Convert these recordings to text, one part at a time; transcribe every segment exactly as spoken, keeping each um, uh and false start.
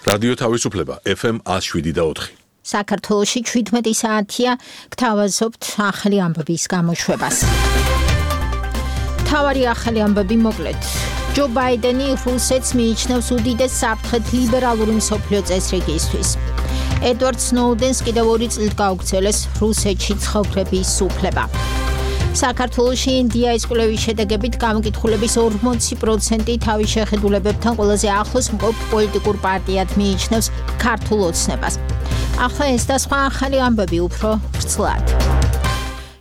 რადიო თავისუფლება ეფ ემ one oh seven და four. საქართველოში შვიდმეტი საათია გთავაზობთ ახალი ამბების გამოშვებას. თავარი ახალი ამბები მოკლედ. ჯო ბაიდენი რუსეთს მიიჩნევს უდიდეს საფრთხედ ლიბერალური მსოფლიო წესრიგისთვის. ედვარდ სნოუდენს კიდევ ორი წლით გაუგრძელეს რუსეთში ცხოვრების უფლება. საქართველოში ინდიის კვლევის შედეგებით გამოკითხულების ორმოცი პროცენტი თავის შეხედულებებთან ყველაზე ახლოს მყოფ პოლიტიკურ პარტიად მიიჩნევს ქართულ ოცნებას. ახლა ეს და სხვა ახალი ამბები უფრო ვრცლად.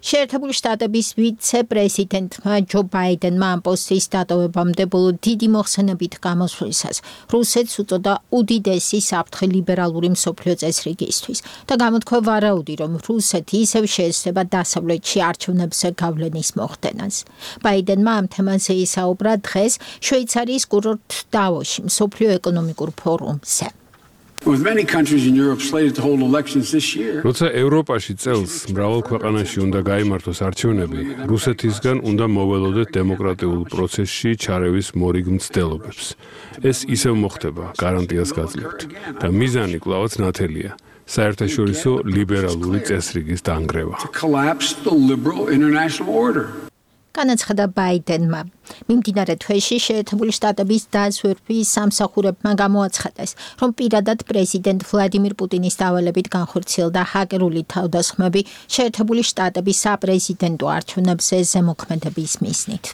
შეერთებული შტატების ვიცე-პრეზიდენტმა ჯო ბაიდენმა ამ პოსტის დატოვებამდე ბოლო დიდი მოხსენებით გამოსვლისას რუსეთს უწოდა უდიდესი საფრთხე ლიბერალური მსოფლიო წესრიგისთვის და გამოთქვა ვარაუდი, რომ რუსეთი ისევ შეეცდება დასავლეთში არჩევნებზე გავლენის მოხდენას. ბაიდენმა ამ თემაზე ისაუბრა დღეს შვეიცარიის კურორტ დავოში მსოფლიო ეკონომიკურ ფორუმზე. With many countries in Europe slated to hold elections this year. როცა ევროპაში წელს მრავალ ქვეყანაში უნდა გაიმართოს არჩევნები, რუსეთისგან უნდა მოველოდეთ დემოკრატიულ პროცესში ჩარევის მორიგ მცდელობებს. ეს ისევ მოხდება, გარანტიას გაძლევთ. და მიზანი კვლავაც ნათელია. საერთაშორისო ლიბერალური წესრიგის დანგრევა. To collapse the liberal international order. განაცხადა ბაიდენმა. მიმდინარე თვეში შეერთებული შტატების დაზვერვის სამსახურებმა გამოაცხადეს, რომ პირადად პრეზიდენტ ვლადიმირ პუტინის დავალებით განხორციელდა ჰაკერული თავდასხმები შეერთებული შტატების საპრეზიდენტო არჩევნებზე ზემოქმედების მიზნით.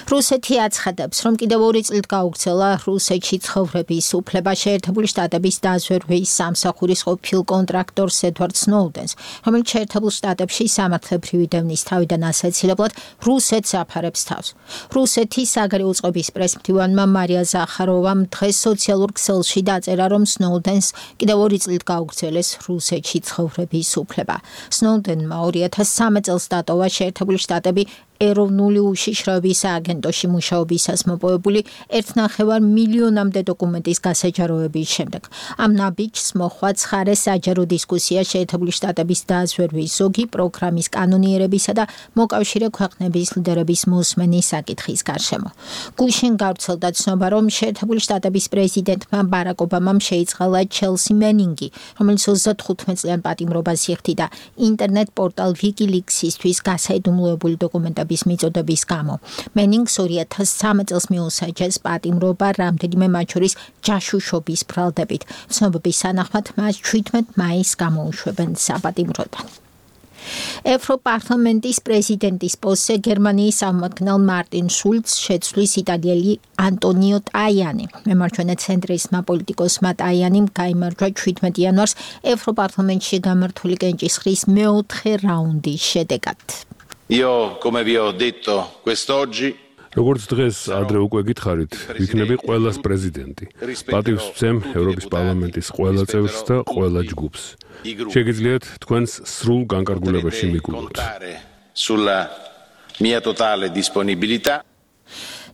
რუსეთი აცხადებს, რომ კიდევ ორი წლით გაუგრძელა რუსეთში ცხოვრების უფლება შეერთებული შტატების დაზვერვის სამსახურის ყოფილ კონტრაქტორს ედვარდ სნოუდენს, რომელიც შეერთებულ შტატებში სამართლებრივი დევნის თავიდან ასაცილებლად რუსეთს აფარებს თავს. რუსეთის საგარეო წყობის პრესმდივანმა მარია ზახაროვამ დღეს სოციალურ ქსელში დაწერა, რომ სნოუდენს კიდევ ორი წლით გაუგრძელეს რუსეთში ცხოვრების უფლება. სნოუდენმა ორი ათას სამი წელს დატოვა შეერთებული შტატები ეროვნული უშიშროების სააგენტოში მუშაობისას მოპოვებული ერთ ნახევარ მილიონამდე დოკუმენტის გასაჯაროების შემდეგ. ამ ნაბიჯს მოჰყვა ცხარე საჯარო დისკუსია შეერთებული შტატების დაზვერვის ზოგი პროგრამის კანონიერებისა და მოკავშირე ქვეყნების ლიდერების მოსმენის საკითხის გარშემო. გუშინ გავრცელდა ცნობა, რომ შეერთებული შტატების პრეზიდენტმა ბარაკ ობამამ შეიწყალა ჩელსი მენინგი, რომელიც ოცდათხუთმეტ წლიან პატიმრობას იხდიდა ინტერნეტ პორტალ ვიკილიქსისთვის გასაიდუმლოებული დოკუმენტები მიწოდების გამო. მენინგს ორი ათას სამი წელს მიუსაჯეს პატიმრობა რამდენიმე მათ შორის ჯაშუშობის ბრალდებით. ცნობების თანახმად მას შვიდმეტ მაისს გამოუშვებენ საპატიმროდან. ევროპარლამენტის პრეზიდენტის პოსტზე გერმანიის სამმართველ მარტინ შულცს შეცვლის იტალიელი ანტონიო ტაიანი. მემარჯვენე ცენტრისტმა პოლიტიკოსმა ტაიანიმ გაიმარჯვა შვიდმეტ იანვარს ევროპარლამენტში გამართული კენჭისყრის მეოთხე რაუნდის შედეგად. Io, come vi ho detto quest'oggi, როგორც დღეს ადრე უკვე გითხარით, ვიქნები ყველას პრეზიდენტი. პატივს ვცემ ევროპის პარლამენტის ყველა წევრს და ყველა ჯგუფს. შეგიძლიათ თქვენს სრულ განკარგულებაში მიგულოთ. Sulla mia totale disponibilità.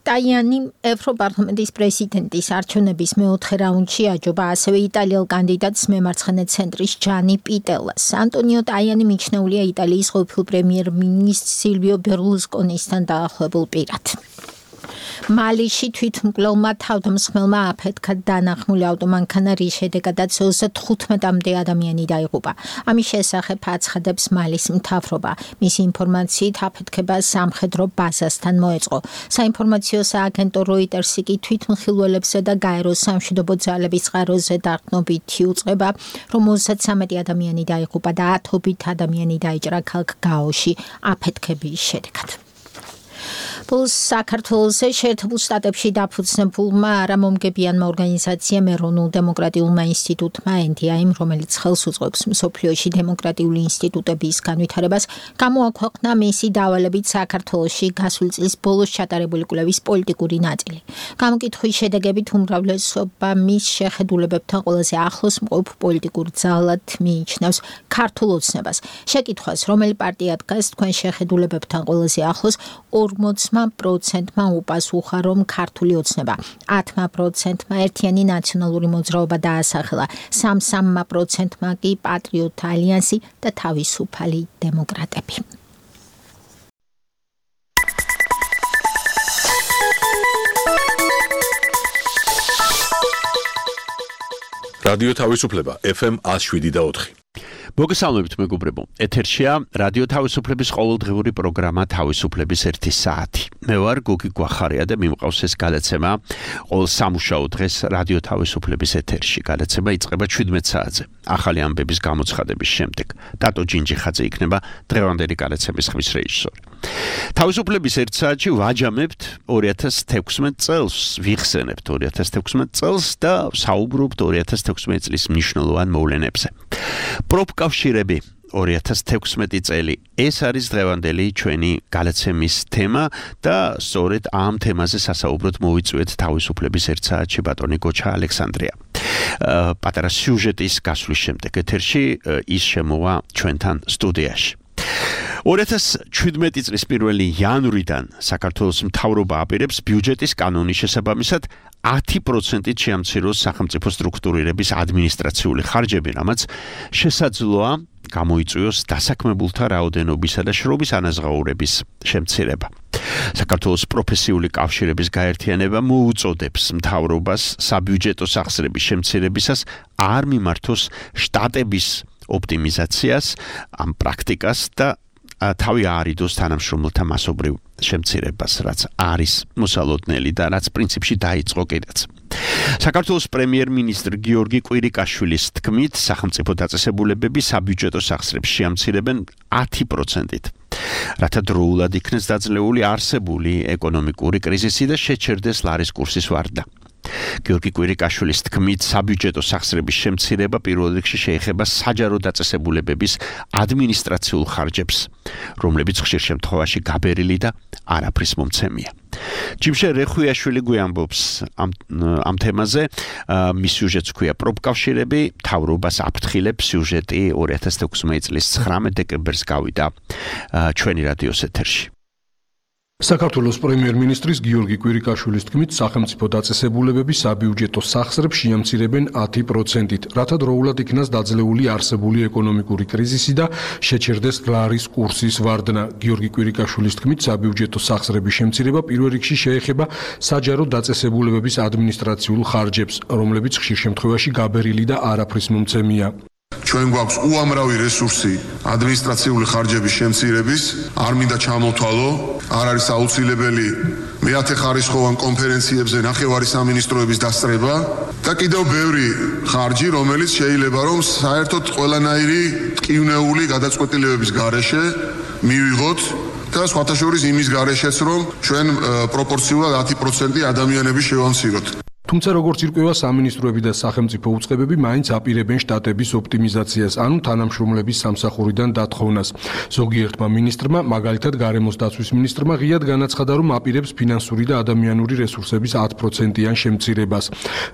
ტაიანი ევროპარლამენტის პრეზიდენტის არჩევნების მეოთხე რაუნდში აჯობა ასევე იტალიელ კანდიდატს მემარცხენე ცენტრის ჯანი პიტელას. ანტონიო ტაიანი მიჩნეულია იტალიის ყოფილ პრემიერ-მინისტრ სილვიო ბერლუსკონისთან დაახლოებულ პირად. მალიში თვითმკვლელმა თავდამსხმელმა აფეთქა დანახმული ავტომანქანა, რის შედეგადაც ოცდათხუთმეტამდე ადამიანი დაიღუპა. ამის შესახებ აცხადებს მალის მთავრობა. მისი ინფორმაციით აფეთქება სამხედრო ბაზასთან მოეწყო. საინფორმაციო სააგენტო როიტერსი კი თვითმხილველებზე და გაერო სამშვიდობო ძალების წყაროზე დაყრდნობითი უწყება, რომ ოცდათვრამეტი ადამიანი დაიღუპა და ათობით ადამიანი დაიჭრა ქალაქ გაოში აფეთქების შედეგად. Plus საქართველოსე შეერთებულ შტატებში დაფუძნებულმა არამომგებიანმა ორგანიზაციამ ეროვნულ დემოკრატიულმა ინსტიტუტმა ენ დი აიმ, რომელიც ხელს უწყობს მსოფლიოში დემოკრატიული ინსტიტუტების განვითარებას, გამოაქვეყნა მისი დავალებით საქართველოში გასული წლის ბოლოს ჩატარებული კვლევის პოლიტიკური ნაწილი. გამოკითხვის შედეგებით უმრავლესობა მის შეხედულებებთან ყველაზე ახლოს მყოფ პოლიტიკურ ძალად მიიჩნევს ქართულ ოცნებას. შეკითხვას, რომელი პარტია დგას თქვენ შეხედულებებთან ყველაზე ახლოს, ორმოცი პროცენტმა უპასუხა, რომ ქართული ოცნება, ათმა პროცენტმა ერთიანი ნაციონალური მოძრაობა დაასახელა, სამსამმა პროცენტმა კი პატრიოტთა ალიანსი და თავისუფალი დემოკრატები. რადიო თავისუფლება F M one oh seven point four. მოგესალმებით მეგობრებო. ეთერშია რადიო თავისუფლების ყოველდღიური პროგრამა თავისუფლების ერთი საათი. მე ვარ გოგი გვახარია და მიმყავს ეს გადაცემა ყოველ სამუშაო დღეს რადიო თავისუფლების ეთერში. გადაცემა იწყება შვიდმეტ საათზე. ახალი ამბების გამოცხადების შემდეგ. დატო ჯინჯიხაძე იქნება დღევანდელი გადაცემის ხმის რეჟისორი. თავისუფლების ერთ საათში ვაჯამებთ ორი ათას თექვსმეტ წელს, ვიხსენებთ ორი ათას თექვსმეტ წელს და საუბრობთ ორი ათას თექვსმეტ წლის მნიშვნელოვან მოვლენებზე. პროფკავშირები ორი ათას თექვსმეტი წელი. ეს არის დღევანდელი ჩვენი გადაცემის თემა და სწორედ ამ თემაზე სასაუბროდ მოვიწვიეთ თავისუფლების ერთ საათში ბატონი გოჩა ალექსანდრია. პატარა სიუჟეტის გასვლის შემდეგ ეთერში ის შემოვა ჩვენთან სტუდიაში. ორი ათას შვიდმეტი წლის პირველი იანვრიდან საქართველოს მთავრობა აპირებს ბიუჯეტის კანონის შესაბამისად ათი პროცენტით შეამციროს სახელმწიფო სტრუქტურირების ადმინისტრაციული ხარჯები, რამაც შესაძლოა გამოიწვიოს დასაქმებულთა რაოდენობისა და შრომის ანაზღაურების შემცირება. საქართველოს პროფესიული კავშირების გაერთიანება მოუწოდებს მთავრობას საბიუჯეტო სახსრების შემცირებისას არ მიმართოს შტატების ოპტიმიზაციას, ამ პრაქტიკას და თავი აარიდოს თანამშრომელთა მასობრივ შემცირებას, რაც არის მოსალოდნელი და რაც პრინციპში დაიწყო კიდეც. საქართველოს პრემიერ-მინისტრ გიორგი კვირიკაშვილის თქმით, სახელმწიფო დაწესებულებები საბიუჯეტო სახსრებს შეამცირებენ ათი პროცენტით. რათა დროულად იქნეს დაძლეული არსებული ეკონომიკური კრიზისი და შეჩერდეს ლარის კურსის ვარდა. გიორგი კვირიკაშვილის თქმით, საბიუჯეტო სახსრების შემცირება პირველ რიგში შეეხება საჯარო დაწესებულებების ადმინისტრაციულ ხარჯებს, რომლებიც ხშირ შემთხვევაში გაბერილი და არაფრის მომცემია. ჯიმშე რეხვიაშვილი გვიამბობს ამ, ამ თემაზე, მის სიუჟეტს ქვია პროფკავშირები, მთავრობას აფრთხილებს. სიუჟეტი ორი ათას თექვსმეტი წლის ცხრამეტ დეკემბერს გავიდა ჩვენი რადიოს ეთერში. საქართველოს პრემიერ-მინისტრის გიორგი კვირიკაშვილის თქმით, სახელმწიფო დაწესებულებები საბიუჯეტო სახსრებს შეამცირებენ ათი პროცენტით, რათა დროულად იქნას დაძლეული არსებული ეკონომიკური კრიზისი და შეჩერდეს ლარის კურსის ვარდნა. გიორგი კვირიკაშვილის თქმით, საბიუჯეტო სახსრების შემცირება პირველ რიგში შეეხება საჯარო დაწესებულებების ადმინისტრაციულ ხარჯებს, რომლებიც ხშირ შემთხვევაში გაბერილი და არაფრის მომცემია. ჩვენ გვაქვს უამრავი რესურსი ადმინისტრაციული ხარჯების შემცირების, არ მინდა ჩამოთვალო, არ არის აუცილებელი მეათეხარისხოვან კონფერენციებზე ნახევარი სამინისტროების დასწრება და კიდევ ბევრი ხარჯი, რომელიც შეიძლება რომ საერთოდ ყველანაირი ტკივნეული გადაწყვეტილებების გარეშე მივიღოთ და სხვათა შორის იმის გარეშეც რომ ჩვენ პროპორციულად ათი პროცენტი ადამიანების შევამციროთ. თუმცა როგორც ირკვევა, სამინისტროები და სახელმწიფო უწყებები მაინც აპირებენ შტატების ოპტიმიზაციას, ანუ თანამშრომლების სამსახურიდან დათხოვნას. ზოგიერთმა მინისტრმა, მაგალითად გარემოს დაცვის მინისტრმა, ღიად განაცხადა, რომ აპირებს ფინანსური და ადამიანური რესურსების ათი პროცენტიან შემცირებას,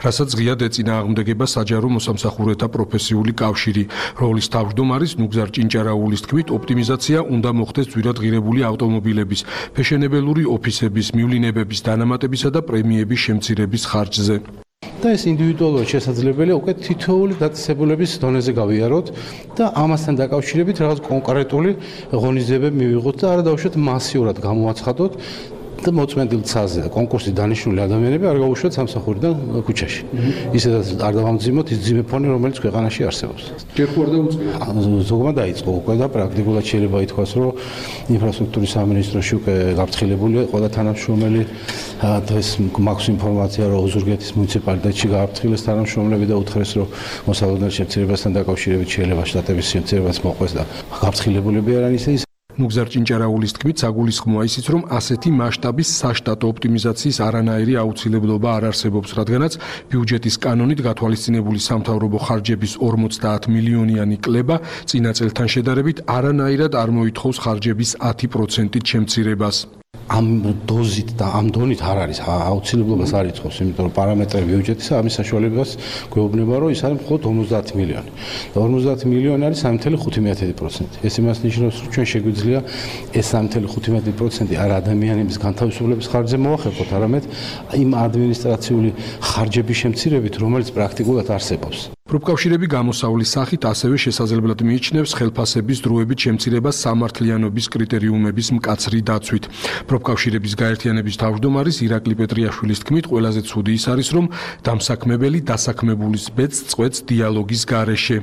რასაც ღიად ეწინააღმდეგება საჯარო მოსამსახურეთა პროფესიული კავშირი. როლის თავმჯდომარის ნუგზარ ჭინჭარაულის თქმით, ოპტიმიზაცია უნდა მოხდეს ძვირად ღირებული ავტომობილების, ფეშენებელური ოფისების, მივლინებების დანამატებისა და პრემიების შემცირების ხარჯზე. და ეს ინდივიდუალურად შესაძლებელია უკვე თითოეული დაწესებულების დონეზე გავიაროთ და ამასთან დაკავშირებით რაღაც კონკრეტული ღონისძიებები მივიღოთ და არა დავუშვათ მასიურად გამოაცხადოთ და მოწმენდილ ცაზე და კონკურსის დანიშნული ადამიანები არ გავუშვათ სამსახურიდან ქუჩაში. ისედაც არ დავამძიმოთ ის ძიმე ფონი, რომელიც ქვეყანაში არსებობს. ჯერ ხო არ დაუწყია? ზოგმა დაიწყო უკვე და პრაქტიკულად შეიძლება ითქვას, რომ ინფრასტრუქტურის სამინისტროში უკვე გაფრთხილებულია ყველა თანამშრომელი. დღეს მაქვს ინფორმაცია, რომ ოზურგეთის მუნიციპალიტეტში გააფრთხილეს თანამშრომლები და უთხრეს, რომ მოსალოდნელ შემცირებასთან დაკავშირებით შეიძლება შტატების შემცირებას მოყვეს და გაფრთხილებულები არიან ისე ის. ნუგზარ ჭინჭარაულის თქმით, საგულისხმოა ისიც, რომ ასეთი მასშტაბის საშტატო ოპტიმიზაციის არანაირი აუცილებლობა არ არსებობს, რადგანაც ბიუჯეტის კანონით გათვალისწინებული სამთავრობო ხარჯების ორმოცდაათ მილიონიანი კლება წინა წელთან შედარებით არანაირად არ მოითხოვს ხარჯების ათი პროცენტით შემცირებას. ამ დოზით და ამ დონით არ არის აუცილებლობას არ იწევს, იმიტომ რომ პარამეტრები ბიუჯეტისა ამის საშუალებას გვეუბნება, რომ ის არის მხოლოდ ორმოცდაათი მილიონი. და ორმოცდაათი მილიონი არის სამი ათეული ხუთი პროცენტი. ეს იმას ნიშნავს, რომ ჩვენ შეგვიძლია ეს სამი ათეული ხუთი პროცენტი არ ადამიანების განთავისუფლების ხარჯზე მოახერხოთ, არამედ იმ ადმინისტრაციული ხარჯების შემცირებით, რომელიც პრაქტიკულად არსებობს. პროფკავშირები გამოსავლის სახით ასევე შესაძლებლად მიიჩნევს ხელფასების დროებით შემცირებას სამართლიანობის კრიტერიუმების მკაცრი დაცვით. პროფკავშირების გაერთიანების თავმჯდომარის ირაკლი პეტრიაშვილის თქმით, ყველაზე ცუდი ის არის, რომ დამსაქმებელი დასაქმებულის ბედს წყვეტს დიალოგის გარეშე.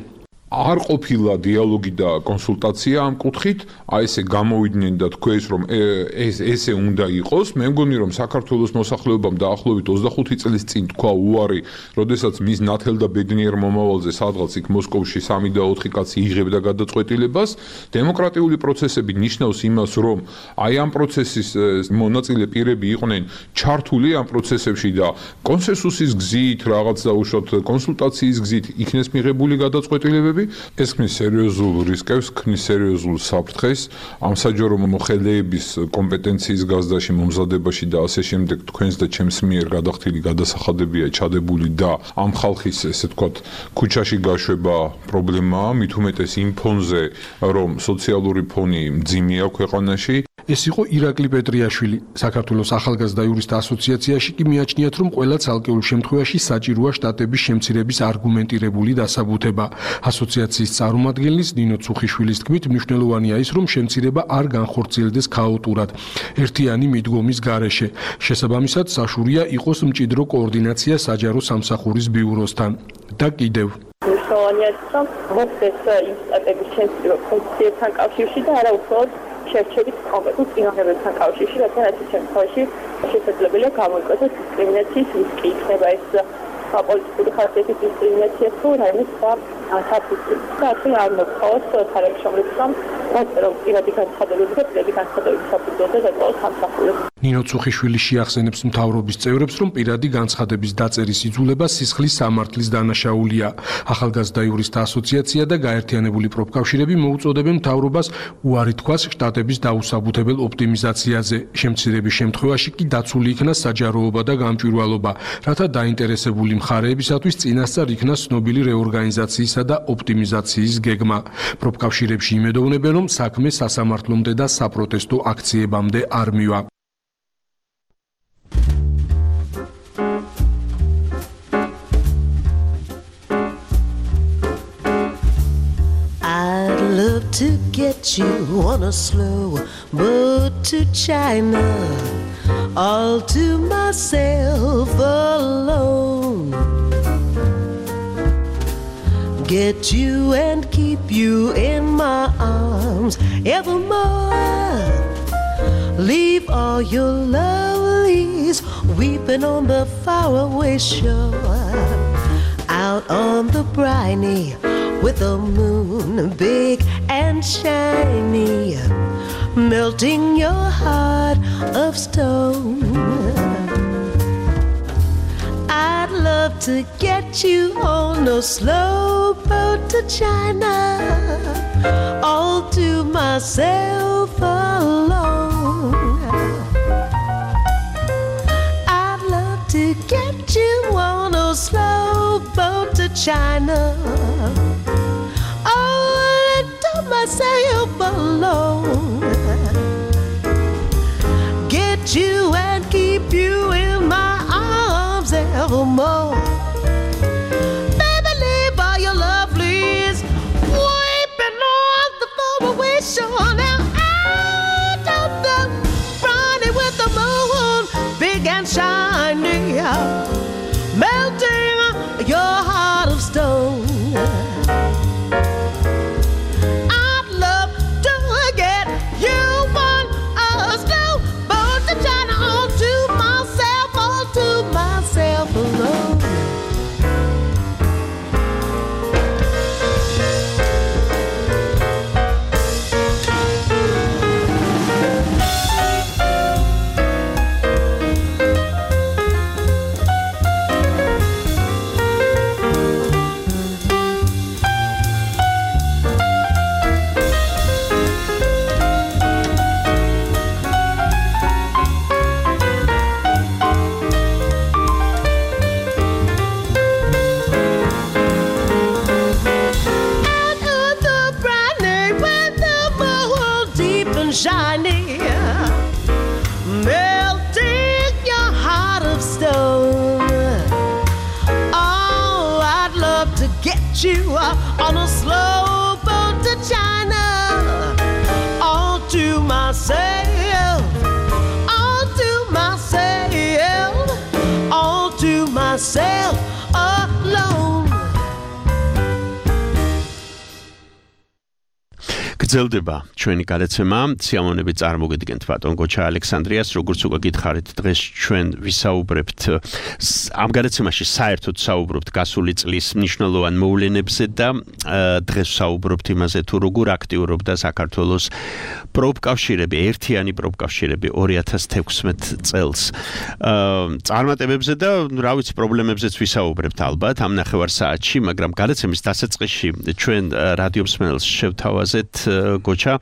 არ ყოფილა დიალოგი და კონსულტაცია ამ კუთხით, აი ესე გამოვიდნენ და თქვეს რომ ეს ესე უნდა იყოს. მე მგონი რომ საქართველოს მოსახლეობამ დაახლოებით ოცდახუთი წლის წინ თქვა უარი, როდესაც მის ნათელ და ბედნიერ მომავალზე სადღაც იქ მოსკოვში სამი და ოთხი კაცი იღებდა გადაწყვეტილებას. დემოკრატიული პროცესები ნიშნავს იმას, რომ აი ამ პროცესის მონაწილე პირები იყვნენ ჩართული ამ პროცესებში და კონსენსუსის გზით, რაღაც დაუშვათ კონსულტაციის გზით იქნეს მიღებული გადაწყვეტილებები. ეს ქმნის სერიოზულ რისკებს, ქმნის სერიოზულ საფრთხეს ამ საჯარო მოხელეების კომპეტენციის გაზრდაში, მომზადებაში და ასე შემდეგ თქვენს და ჩემს მიერ გადახდილი გადასახადებია ჩადებული და ამ ხალხის ესე ვთქვათ ქუჩაში გაშვება პრობლემაა, მით უმეტეს იმ ფონზე, რომ სოციალური ფონი მძიმეა ქვეყანაში. ეს იყო ირაკლი პეტრიაშვილი. საქართველოს ახალგაზრდა იურისტთა ასოციაციაში კი მიაჩნიათ, რომ ყველა ცალკეულ შემთხვევაში საჭიროა შტატების შემცირების არგუმენტირებული დასაბუთება. ასოციაციის წარმომადგენლის ნინო ცუხიშვილის თქმით, მნიშვნელოვანია ის, რომ შემცირება არ განხორციელდეს ქაოტურად, ერთიანი მიდგომის გარეშე. შესაბამისად, საშუალია იყოს მჭიდრო კოორდინაცია საჯარო სამსახურის ბიუროსთან. და კიდევ მნიშვნელოვანია, რომ მოხდეს იმ შტატების შემცირება ფუნქციებთან კავშირში და არა უბრალოდ შერჩებით კონკრეტულ წინააღმდეგობებთან კავშირში, რადგან ასეთ შემთხვევაში შესაძლებელია გამოიკვეთოს დისკრიმინაციის რისკი. იქნება ეს პოლიტიკური ხასიათის დისკრიმინაცია თუ რაიმე სხვა საფუძველი. და ასე არ მოხდეს თანამშრომლებს, რომ რომ პირადი განცხადებები და პირადი განცხადებების საფუძველზე დაწვეს სამსახურებს. ნინო ცუხიშვილი შეახსენებს მთავრობის წევრებს, რომ პირადი განცხადების დაწერის იძულება სისხლის სამართლის დანაშაულია. ახალგაზრდა იურისტთა ასოციაცია და გაერთიანებული პროფკავშირები მოუწოდებენ მთავრობას უარი თქვას შტატების დაუსაბუთებელ ოპტიმიზაციაზე. შემცირების შემთხვევაში კი დაცული იქნა საჯაროობა და გამჭვირვალობა, რათა დაინტერესებული მხარეებისათვის წინასწარ იქნა ცნობილი რეორგანიზაციისა და ოპტიმიზაციის გეგმა. პროფკავშირებში იმედოვნებენ, რომ საქმე სასამართლომდე და საპროტესტო აქციებამდე არ მივა. To get you on a slow boat to China, all to myself alone. Get you and keep you in my arms evermore. Leave all your lovelies weeping on the faraway shore. Out on the briny with the moon big and shiny, melting your heart of stone. I'd love to get you on a slow boat to China, all to myself alone. I'd love to get you on a slow boat to China, myself alone. Get you and keep you in my arms evermore. Baby, leave all your lovelies weeping on the faraway shore. Now out of the briny with the moon big and shiny, melting your heart of stone. you on a slow boat to China. All to myself, all to myself, all to myself alone. გრძელდება ჩვენი გადაცემა სიამოვნებით წარმოგიდგენთ ბატონ გოჩა ალექსანდრიას როგორც უკვე გითხარით დღეს ჩვენ ვისაუბრებთ ამ გადაცემაში საერთოდ საუბრობთ გასული წლის მნიშვნელოვან მოვლენებზე და დღეს ვსაუბრობთ იმაზე თუ როგორ აქტიურობდა საქართველოს პროფკავშირები ერთიანი პროფკავშირები ორი ათას თექვსმეტ წელს წარმატებებზე და რა ვიცი პრობლემებზეც ვისაუბრებთ ალბათ ამ ნახევარსაათში მაგრამ გადაცემის დასაწყისში ჩვენ რადიო მსმენელს შევთავაზეთ გოჩა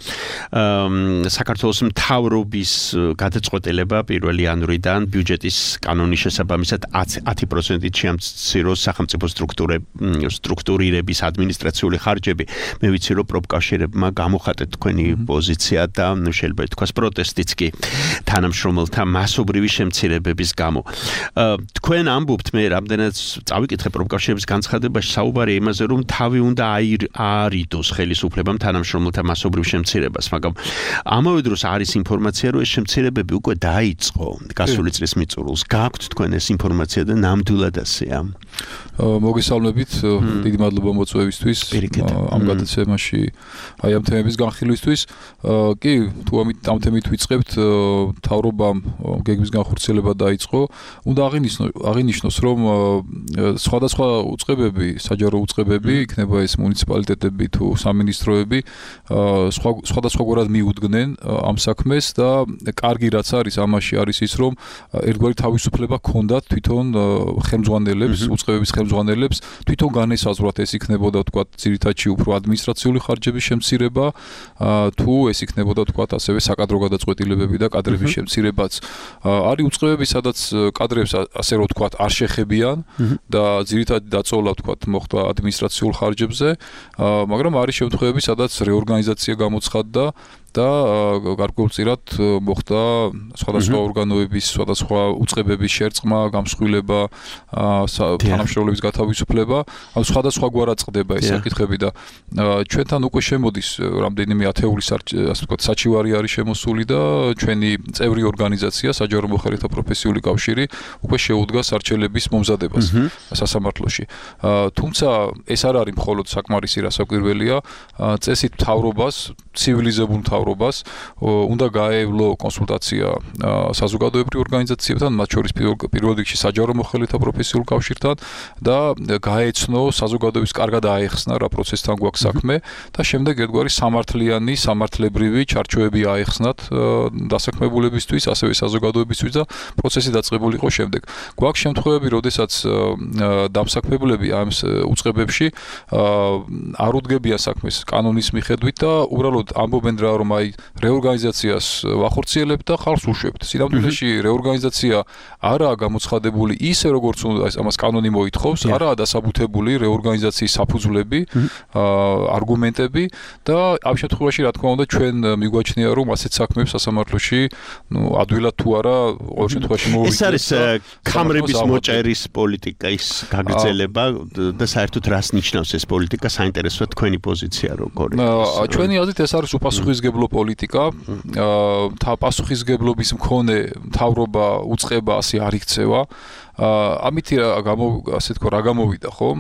საქართველოს მთავრობის გადაწყვეტილება პირველი იანვრიდან ბიუჯეტის კანონის შესაბამისად ათი პროცენტით შეამციროს სახელმწიფო სტრუქტურირების ადმინისტრაციული ხარჯები მე ვიცი რომ პროფკავშირებმა გამოხატეთ თქვენი პოზიცია და ნუ შეიძლება ითქვას პროტესტიც კი თანამშრომელთა მასობრივი შემცირებების გამო თქვენ ამბობთ მე რამდენად წავიკითხე პროფკავშირების განცხადებაში საუბარია იმაზე რომ თავი უნდა აარიდოს ხელისუფლებამ თანამშრომელთა მასობრივ შემცირებას, მაგრამ ამავე დროს არის ინფორმაცია, რომ ეს შემცირებები უკვე დაიწყო გასული წლის მიწურულს. გააქვთ თქვენ ეს ინფორმაცია და ნამდვილად ასეა? მოგესალმებით, დიდი მადლობა მოწვევისთვის ამ გადაცემაში, აი ამ თემების განხილვისთვის. კი, თუ ამ თემით ვიწყებთ, მთავრობამ გეგმის განხორციელება დაიწყო. უნდა აღინიშნოს, რომ სხვადასხვა უწყებები, საჯარო უწყებები, იქნება ეს მუნიციპალიტეტები თუ სამინისტროები სხვადასხვაგვარად მიუდგნენ ამ საქმეს და კარგი რაც არის ამაში არის ის რომ ერთგვარი თავისუფლება ჰქონდათ თვითონ ხელმძღვანელებს, უწყებების ხელმძღვანელებს თვითონ განესაზღვრათ ეს იქნებოდა თქვათ ძირითადში უფრო ადმინისტრაციული ხარჯების შემცირება თუ ეს იქნებოდა თქვათ ასევე საკადრო გადაწყვეტილებები და კადრების შემცირებაც. არის უწყებები სადაც კადრებს ასე რომ თქვათ არ შეხებიან და ძირითადი დაწოლა თქვათ მოხდა ადმინისტრაციულ ხარჯებზე, მაგრამ არის შემთხვევები სადაც რეორგანიზაცია გამოცხადდა და გარკვეულწილად მოხდა სხვადასხვა ორგანოების, სხვადასხვა უწყებების შერწყმა, გამსხვილება, თანამშრომლების გათავისუფლება, ამ სხვადასხვაგვარად წყდება ეს საკითხები და ჩვენთან უკვე შემოდის რამდენიმე ათეული ასე ვთქვათ საჩივარი არის შემოსული და ჩვენი წევრი ორგანიზაცია საჯარო მოხელეთა პროფესიული კავშირი უკვე შეუდგა სარჩელების მომზადებას სასამართლოში. თუმცა ეს არ არის მხოლოდ საკმარისი რასაკვირველია, წესით მთავრობას, ცივილიზებულ მთავრობას უნდა გაევლო კონსულტაცია საზოგადოებრივ ორგანიზაციებთან, მათ შორის პირველ რიგში საჯარო მოხელეთა პროფესიულ კავშირთან და გაეცნო საზოგადოების კარგად აეხსნა რა პროცესთან გვაქვს საქმე და შემდეგ ერთგვარი სამართლიანი, სამართლებრივი ჩარჩოები აეხსნათ დასაქმებულებისთვის, ასევე საზოგადოებისთვის და პროცესი დაწყებული იყო შემდეგ. გვაქვს შემთხვევები, როდესაც დამსაქმებულები ამ უწყებებში არ უდგებიან საქმეს კანონის მიხედვით და უბრალოდ ამბობენ რა რომ აი რეორგანიზაციას ვახორციელებთ და ხალხს უშვებთ. სინამდვილეში რეორგანიზაცია არაა გამოცხადებული ისე როგორც უნდა ამას კანონი მოითხოვს, არაა დასაბუთებული რეორგანიზაციის საფუძვლები, არგუმენტები და ამ შემთხვევაში რა თქმა უნდა ჩვენ მიგვაჩნია რომ ასეთ საქმეებს სასამართლოში ნუ ადვილად თუ არა ყოველ შემთხვევაში მოვიწყებთ. ეს არის კამრების მოჭერის პოლიტიკის გაგრძელება და საერთოდ რას ნიშნავს ეს პოლიტიკა საინტერესოა თქვენი პოზიცია როგორია? ჩვენი აზრით ეს არის უპასუხისმგებლო პოლიტიკა. თა პასუხისმგებლობის მქონე მთავრობა უწყება ასე არ იქცევა. ამით ასე თქო რა გამოვიდა ხომ?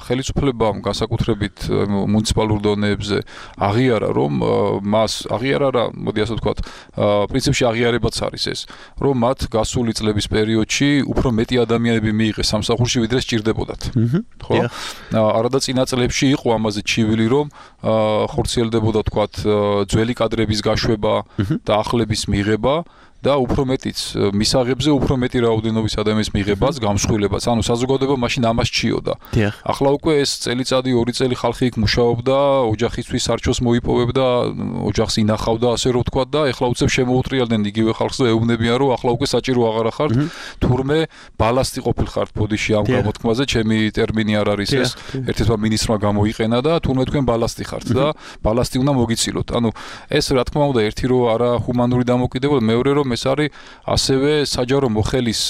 ხელისუფლებამ განსაკუთრებით მუნიციპალურ დონეებზე აღიარა რომ მას აღიარა რა, მოდი ასე ვთქვათ, პრინციპში აღიარებაც არის ეს, რომ მათ გასული წლების პერიოდში უფრო მეტი ადამიანები მიიღეს სამსახურში ვიდრე სჭირდებოდათ. ხო? არადა წინა წლებში იყო ამაზე ჩივილი რომ ხორციელდებოდა თქვათ ძველი კადრების გაშვება და ახლების მიღება და უფრო მეტიც მისაღებზე უფრო მეტი რაოდენობის ადამიანის მიღებას, გამსხვილებას. ანუ საზოგადოება მაშინ ამას ჩიოდა. ახლა უკვე ეს წელიწადი, ორი წელი ხალხი იქ მუშაობდა, ოჯახისთვის სარჩოს მოიპოვებდა, ოჯახს ინახავდა, ასე რომ ვთქვათ და ეხლა უცებ შემოუტრიალდნენ იგივე ხალხს და ეუბნებიან რომ ახლა უკვე საჭირო აღარა ხართ, თურმე ბალასტი ყოფილხართ ბოდიში ამ გამოთქმაზე, ჩემი ტერმინი არ არის ეს, ერთ-ერთმა მინისტრმა გამოიყენა და თურმე თქვენ ბალასტი ხართ და ბალასტი უნდა მოგიცილოთ. ანუ ეს რა თქმა უნდა ერთი რომ არა ჰუმანური დამოკიდებულება, მეორე რომ ეს არის ასევე საჯარო მოხელის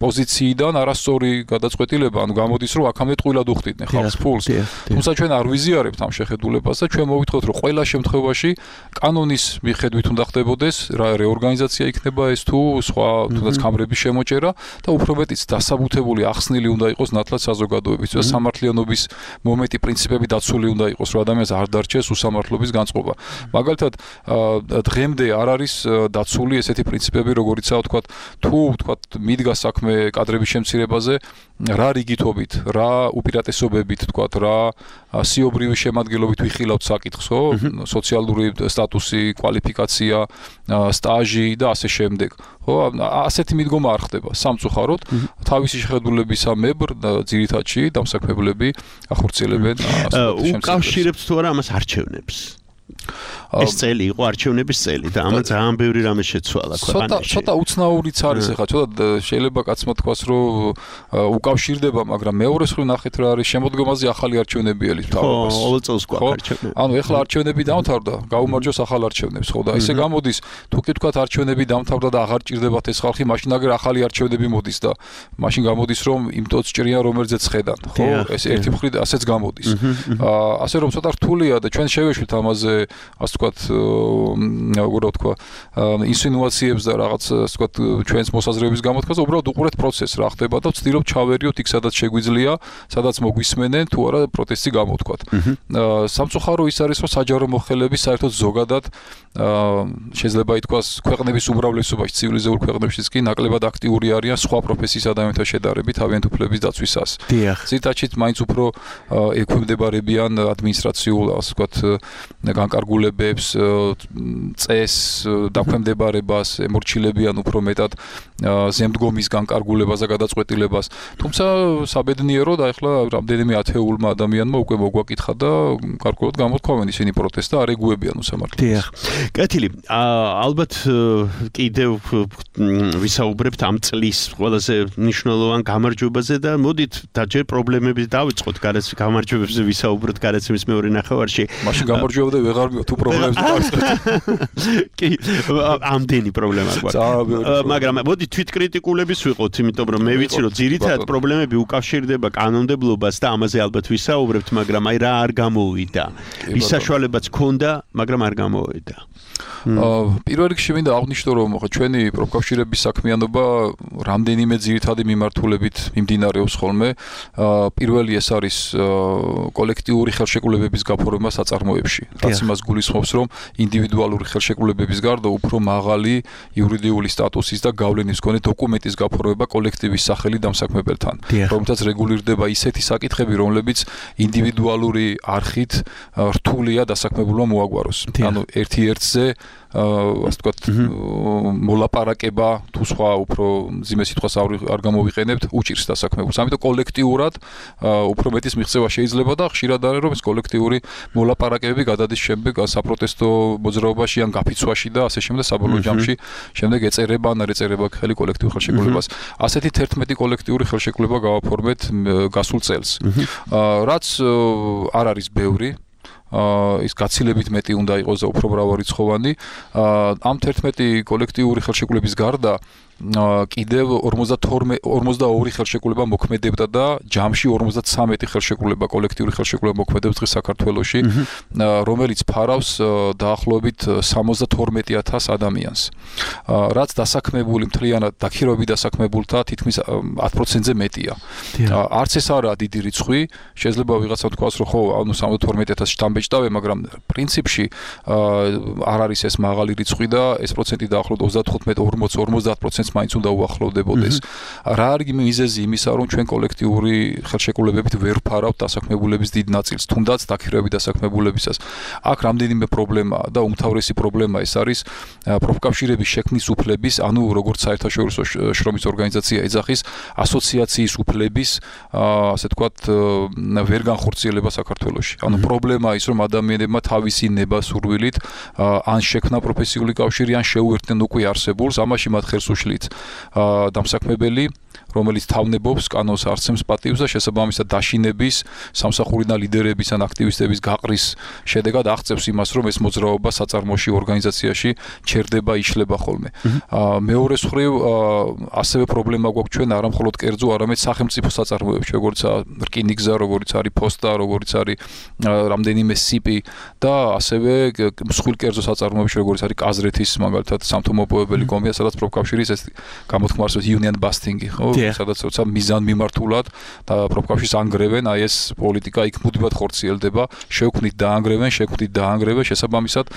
პოზიციიდან არასწორი გადაწყვეტილება, ანუ გამოდის რომ აქამდე ტყუილად უხდიდნენ ხალხს ფულს. თუმცა ჩვენ არ ვიზიარებთ ამ შეხედულებას და ჩვენ მოვიტყოთ რომ ყველა შემთხვევაში კანონის მიხედვით უნდა ხდებოდეს რა რეორგანიზაცია იქნება ეს თუ სხვა თუნდაც კამრების შემოჭერა და უფრო მეტიც დასაბუთებული ახსნილი უნდა იყოს ნათლად საზოგადოების და სამართლიანობის მომენტი პრინციპები დაცული უნდა იყოს რომ ადამიანს არ დარჩეს უსამართლობის განწყობა. მაგალითად დღემდე არ არის დაცული ესეთი პრინციპები როგორიცაა თქვა თუ თქვა მიდგა საქმე კადრების შემცირებაზე რა რიგითობით რა უპირატესობებით თქვა რა სიობრივი შემადგენლობით ვიხილავთ საკითხს ხო სოციალური სტატუსი კვალიფიკაცია სტაჟი და ასე შემდეგ ხო ასეთი მიდგომა არ ხდება სამწუხაროდ თავისი შეხედულებისა მებრ ძირითადში დამსაქმებლები ახორციელებენ უკავშირებთ თუ არა ამას არჩევნებს ეს წელი იყო არჩევნების წელი და ამან ძალიან ბევრი რამე შეცვალა ქვეყანაში. ცოტა უცნაურიც არის ახლა, ცოტა შეიძლება კაცმა თქვას რომ უკავშირდება, მაგრამ მეორე მხრივ ნახეთ რა არის შემოდგომაზე ახალი არჩევნები ელის თავებას. ხო, ყოველწელს გვაქვს არჩევნები. ანუ ეხლა არჩევნები დამთავრდა, გაუმარჯოს ახალ არჩევნებს, ხო და ესე გამოდის, თუ კი თქვა არჩევნები დამთავრდა და აღარ ჭირდებათ ეს ხალხი, მაშინ აგერ ახალი არჩევნები მოდის და მაშინ გამოდის რომ იმ ტოტს ჭრიან რომელზეც ხედან, ხო? ეს ერთი მხრივ ასეც გამოდის. ასე რომ ცოტა რთულია და ჩვენ შევეშვით ამაზე ასე ვთქვათ, როგორ ვთქვა, ინსინუაციებს და რაღაც ასე ვთქვათ, ჩვენს მოსაზრებების გამოთქვას, უბრალოდ უყურეთ პროცესს რა ხდება და ვცდილობთ ჩავერიოთ იქ სადაც შეგვიძლია, სადაც მოგვისმენენ თუ არა პროტესტი გამოთქვათ. სამწუხარო ის არის, რომ საჯარო მოხელები საერთოდ ზოგადად შეიძლება ითქვას ქვეყნების უმრავლესობაში, ცივილიზებულ ქვეყნებშიც კი ნაკლებად აქტიური არიან სხვა პროფესიის ადამიანთა შედარებით თავიანთი უფლების დაცვისას. ძირითადად მაინც უფრო ექვემდებარებიან ადმინისტრაციულ, ასე ვთქვათ, განკარგულებებს, წესს, დაქვემდებარებას, ემორჩილებიან უფრო მეტად ზემდგომის განკარგულებას და გადაწყვეტილებას. თუმცა საბედნიეროდ ახლა რამდენიმე ათეულმა ადამიანმა უკვე მოგვაკითხა და გარკვეულად გამოთქვამენ ისინი პროტესტს და არ ეგუებიან უსამართლობას. დიახ. კეთილი, ალბათ კიდევ ვისაუბრებთ ამ წლის ყველაზე მნიშვნელოვან გამარჯვებაზე და მოდით დაჯერ პრობლემების დავიწყოთ, გარეთ გამარჯვებებზე ვისაუბროთ გარეთმის მეორე ნახევარში. მაშინ გამარჯვებდა ვეღარ თუ პრობლემებს დავიწყოთ. კი, ამდენი პრობლემა გვაქვს. მაგრამ მოდი თვითკრიტიკულების ვიყოთ, იმიტომ რომ მე ვიცი რომ ძირითადად პრობლემები უკავშირდება კანონმდებლობას და ამაზე ალბათ ვისაუბრებთ, მაგრამ აი რა არ გამოვიდა. ის საშუალებაც ქონდა, მაგრამ არ გამოვიდა. პირველ რიგში მინდა აღვნიშნო რომ ჩვენი პროფკავშირების საქმიანობა რამდენიმე ძირითადი მიმართულებით მიმდინარეობს ხოლმე. პირველი ეს არის კოლექტიური ხელშეკრულებების გაფორმება საწარმოებში. რაც იმას გულისხმობს რომ ინდივიდუალური ხელშეკრულებების გარდა უფრო მაღალი იურიდიული სტატუსის და გავლენის მქონე დოკუმენტის გაფორმება კოლექტივის სახელი დამსაქმებელთან. რომელთაც რეგულირდება ისეთი საკითხები, რომლებიც ინდივიდუალური არხით რთულია დასაქმებულმა მოაგვაროს. ანუ ერთი ერთზე ასე ვთქვათ, მოლაპარაკება თუ სხვა უფრო მძიმე სიტყვას არ გამოვიყენებთ, უჭირს დასაქმებულს. ამიტომ კოლექტიურად უფრო მეტის მიღწევა შეიძლება და ხშირად არის რომ ეს კოლექტიური მოლაპარაკებები გადადის შემდეგ საპროტესტო მოძრაობაში ან გაფიცვაში და ასე შემდეგ საბოლოო ჯამში შემდეგ ეწერება ან არ ეწერება ხელი კოლექტიურ ხელშეკრულებას. ასეთი თერთმეტი კოლექტიური ხელშეკრულება გავაფორმეთ გასულ წელს. რაც არ არის ბევრი ის გაცილებით მეტი უნდა იყოს და უფრო მრავალრიცხოვანი. ამ თერთმეტი კოლექტიური ხელშეკრულების გარდა კიდევ ორმოცდაორი ხელშეკრულება მოქმედებდა და ჯამში ორმოცდათვრამეტი ხელშეკრულება კოლექტიური ხელშეკრულება მოქმედებს დღეს საქართველოში, რომელიც ფარავს დაახლოებით სამოცდათორმეტი ათას ადამიანს. რაც დასაქმებული მთლიანად დაქირავები დასაქმებულთა თითქმის ათ პროცენტზე მეტია. არც ეს არაა დიდი რიცხვი, შეიძლება ვიღაცამ თქვას რომ ხო, ანუ სამოცდათორმეტი ათასი შტამბეჭდავე, მაგრამ პრინციპში არ არის ეს მაღალი რიცხვი და ეს პროცენტი დაახლოებით ოცდათხუთმეტ ორმოც ორმოცდაათ პროცენტს მაინც უნდა უახლოვდებოდეს. რა არის მიზეზი იმისა, რომ ჩვენ კოლექტიური ხელშეკრულებებით ვერ ვფარავთ დასაქმებულების დიდ ნაწილს, თუნდაც დაქირავები დასაქმებულებისას. აქ რამდენიმე პრობლემაა და უმთავრესი პრობლემა ეს არის პროფკავშირების შექმნის უფლების, ანუ როგორც საერთაშორისო შრომის ორგანიზაცია ეძახის, ასოციაციის უფლების, ასე ვთქვათ, ვერ განხორციელება საქართველოში. ანუ პრობლემაა ის, რომ ადამიანებმა თავისი ნება სურვილით ან შექმნა პროფესიული კავშირი, ან შეუერთდნენ უკვე არსებულს, ამაში მათ ხელს უშლიან სახელით დამსაქმებელი რომელიც თავნებობს კანონს არცემს პატივს და შესაბამისად დაშინების სამსახურიდან ლიდერების ან აქტივისტების გაყრის შედეგად აღწევს იმას რომ ეს მოძრაობა საწარმოში ორგანიზაციაში ჩერდება იშლება ხოლმე. მეორე მხრივ ასევე პრობლემა გვაქვს ჩვენ არა მხოლოდ კერძო არამედ სახელმწიფო საწარმოებში როგორც რკინიგზა როგორც არის ფოსტა როგორც არის რამდენიმე სიპი და ასევე მსხვილ კერძო საწარმოებში როგორც არის კაზრეთის მაგალითად სამთო-მოპოვებელი კომბია სადაც პროფკავშირის ეს გამოთქმა არსებობს union busting-ი ხო სადაც როცა მიზან მიმართულად და პროფკავშირს ანგრევენ აი ეს პოლიტიკა იქ მუდმივად ხორციელდება შევქმნით დაანგრევენ შევქმნით დაანგრევენ შესაბამისად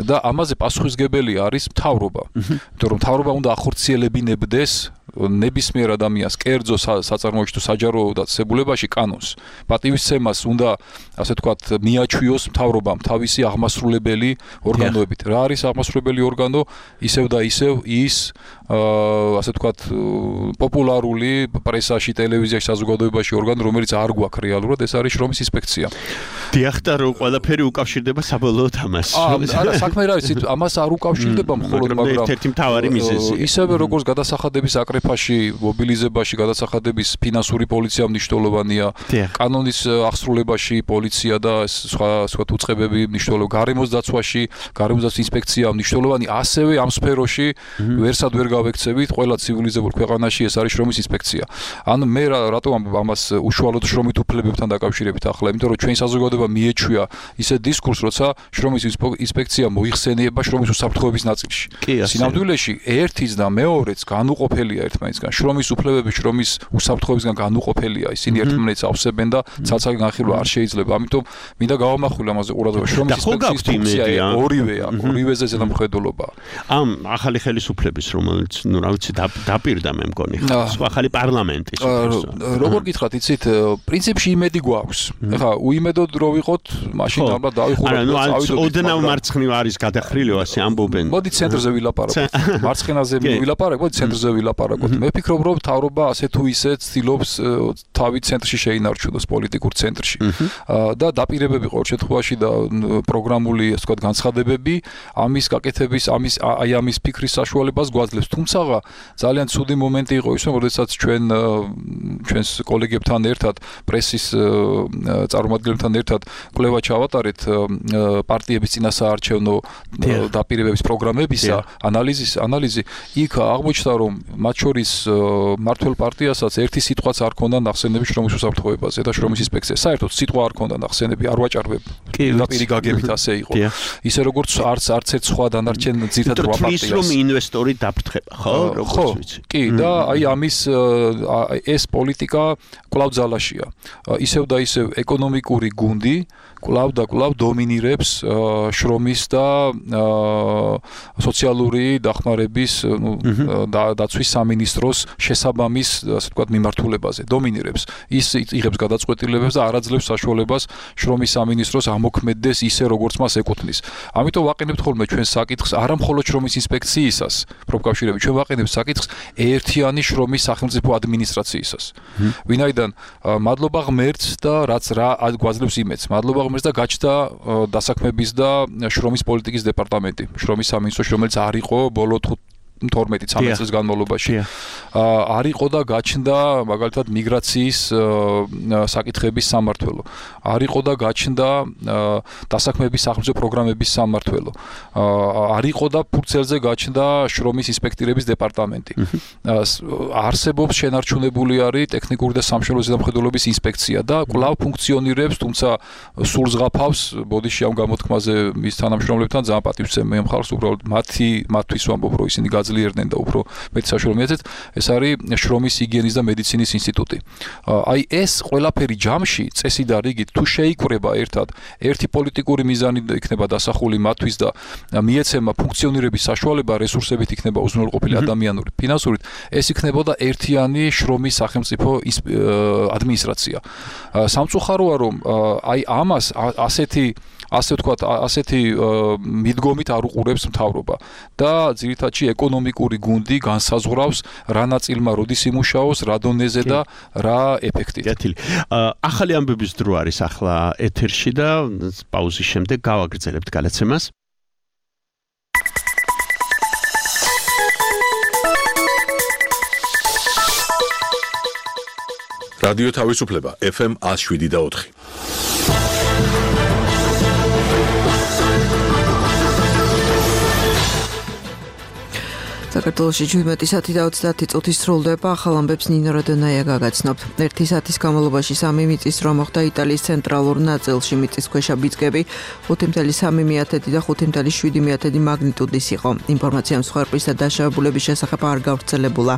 და ამაზე პასუხისგებელი არის მთავრობა იმიტომ რომ მთავრობა უნდა ახორციელებინებდეს ნებისმიერ ადამიანს კერძო საწარმოებში თუ საჯარო დაწესებულებაში კანონს პატივისცემას უნდა ასე ვთქვათ მიაჩვიოს მთავრობამ თავისი აღმასრულებელი ორგანოებით რა არის აღმასრულებელი ორგანო ისევ და ისევ ის ასე ვთქვათ პოპულარული პრესაში ტელევიზიაში საზოგადოებაში ორგანო რომელიც არ გვაქვს რეალურად ეს არის შრომის ინსპექცია დიახ და რომ ყველაფერი უკავშირდება საბოლოოდ ამას არა საქმე რა არის ამას არ უკავშირდება მხოლოდ მაგრამ ერთ-ერთი მთავარი მიზეზი ისევე როგორც გადასახადების აკრეფაში მობილიზებაში გადასახადების ფინანსური პოლიცია მნიშვნელოვანია კანონის აღსრულებაში პოლიცია და სხვა სხვა უწყებები მნიშვნელოვანია გარემოს დაცვაში გარემოს დაცვის ინსპექცია მნიშვნელოვანი ასევე ამ სფეროში ვერსად ვერ გავექცევით ყველა ცივილიზებულ ქვეყანაში ეს არის შრომის ინსპექცია ან მე რატომ ამას უშუალოდ შრომით უფლებებთან დაკავშირებით ახლა იმიტომ რომ ჩვენ საზოგადოება მიეჩვია ისე დისკურს როცა შრომის ინსპექცია მოიხსენიება შრომის უსაფრთხოების ნაწილში სინამდვილეში ერთის და მეორეც განუყოფელია ერთმანეთისგან შრომის უფლებები შრომის უსაფრთხოებისგან განუყოფელია ისინი ერთმანეთს ავსებენ და ცალ-ცალკე განხილვა არ შეიძლება ამიტომ მინდა გავამახვილო ამაზე ყურადღება შრომის ინსპექციის ფუნქცია ორივეა ორივეზე ზედამხედველობა ამ ახალი ხელისუფლების რომელიც ნუ რა ვიცი დაპირდა მე მგონი სხვა ახალი პარლამენტის როგორ გითხრათ იცით პრინციპში იმედი გვაქვს ეხლა უიმედოდ რო ვიყოთ მაშინ ალბათ დავიხუროთ არა ნუ ოდნავ მარცხნივ არის გადახრილი ასე ამბობენ მოდი ცენტრზე ვილაპარაკოთ მარცხენაზე ვილაპარაკოთ მოდი ცენტრზე ვილაპარაკოთ მე ვფიქრობ რომ მთავრობა ასე თუ ისე ცდილობს თავი ცენტრში შეინარჩუნოს პოლიტიკურ ცენტრში და დაპირებები ყოველ შემთხვევაში და პროგრამული ასე ვთქვათ განცხადებები ამის გაკეთების ამის აი ამის ფიქრის საშუალებას გვაძლევს თუმცა ძალიან ცუდი მომენტი იყო ის რომ როდესაც ჩვენ ჩვენს კოლეგებთან ერთად პრესის წარმომადგენლებთან ერთად კვლევა ჩავატარეთ პარტიების წინასაარჩევნო დაპირებების პროგრამებისა ანალიზის ანალიზი იქ აღმოჩნდა რომ მათ შორის მართლ პარტიასაც ერთი სიტყვაც არ ქონდა ნახსენები შრომის უსაფრთხოებაზე და შრომის ინსპექციაზე საერთოდ სიტყვა არ ქონდა ნახსენები არ ვაჭარბებ დაპირი გაგებით ასე იყო ისე როგორც არც არც ერთ სხვა დანარჩენ ძირითად რვა პარტიას რომ ინვესტორი დაფრთხება ხო როგორც ვიცი კი და აი ამის ეს პოლიტიკა კვლავ ძალაშია ისევ და ისევ ეკონომიკური გუნდი კვლავ და კვლავ დომინირებს შრომის და სოციალური დახმარების დაცვის სამინისტროს შესაბამის ასე ვთქვათ მიმართულებაზე დომინირებს ის იღებს გადაწყვეტილებებს და არ აძლევს საშუალებას შრომის სამინისტროს ამოქმედდეს ისე როგორც მას ეკუთვნის ამიტომ ვაყენებთ ხოლმე ჩვენ საკითხს არა მხოლოდ შრომის ინსპექციისას პროფკავშირები ჩვენ ვაყენებთ საკითხს ერთიანი შრომის სახელმწიფო ადმინისტრაციისას ვინაიდან მადლობა ღმერთს და რაც რა გვაძლევს იმედს მადლობა ღმერთს და გაჩნდა დასაქმების და შრომის პოლიტიკის დეპარტამენტი შრომის სამინისტროში რომელიც არ იყო ბოლო თორმეტი ცხრამეტი წლის განმავლობაში არ იყო და გაჩნდა მაგალითად მიგრაციის საკითხების სამმართველო არ იყო და გაჩნდა დასაქმების სახელმწიფო პროგრამების სამმართველო არ იყო და ფურცელზე გაჩნდა შრომის ინსპექტირების დეპარტამენტი არსებობს შენარჩუნებული არის ტექნიკური და სამშობლო ზედამხედველობის ინსპექცია და კვლავ ფუნქციონირებს თუმცა სულ ზღაფავს ბოდიში ამ გამოთქმაზე მის თანამშრომლებთან ძალიან პატივს მე მხარს უბრალოდ მათი მათთვის ვამბობ რომ ისინი ძლიერდნენ და უფრო მეტ საშუალო მიეცეთ ეს არის შრომის ჰიგიენის და მედიცინის ინსტიტუტი აი ეს ყველაფერი ჯამში წესი და რიგით თუ შეიკვრება ერთად ერთი პოლიტიკური მიზანი იქნება დასახული მათთვის და მიეცემა ფუნქციონირების საშუალება რესურსებით იქნება უზრუნველყოფილი ადამიანური ფინანსურით ეს იქნებოდა ერთიანი შრომის სახელმწიფო ადმინისტრაცია სამწუხაროა რომ აი ამას ასეთი ასე ვთქვათ ასეთი მიდგომით არ უყურებს მთავრობა და ძირითადში ეკონომიკური გუნდი განსაზღვრავს რა ნაწილმა როდის იმუშაოს რა დონეზე და რა ეფექტით. კეთილი. ახალი ამბების დრო არის ახლა ეთერში და პაუზის შემდეგ გავაგრძელებთ გადაცემას. რადიო თავისუფლება ეფ ემ one oh seven და four. საქართველოში შვიდმეტი საათი და ოცდაათი წუთი სრულდება, ახალ ამბებს ნინო როდონაია გაგაცნობთ. ერთი საათის განმავლობაში სამი მიწის ზრვა მოხდა იტალიის ცენტრალურ ნაწილში, მიწისქვეშა ბიძგები ხუთი კoma სამი და ხუთი კoma შვიდი მაგნიტუდის იყო. ინფორმაცია მსხვერპლის და დაშავებულების შესახებ არ გავრცელებულა.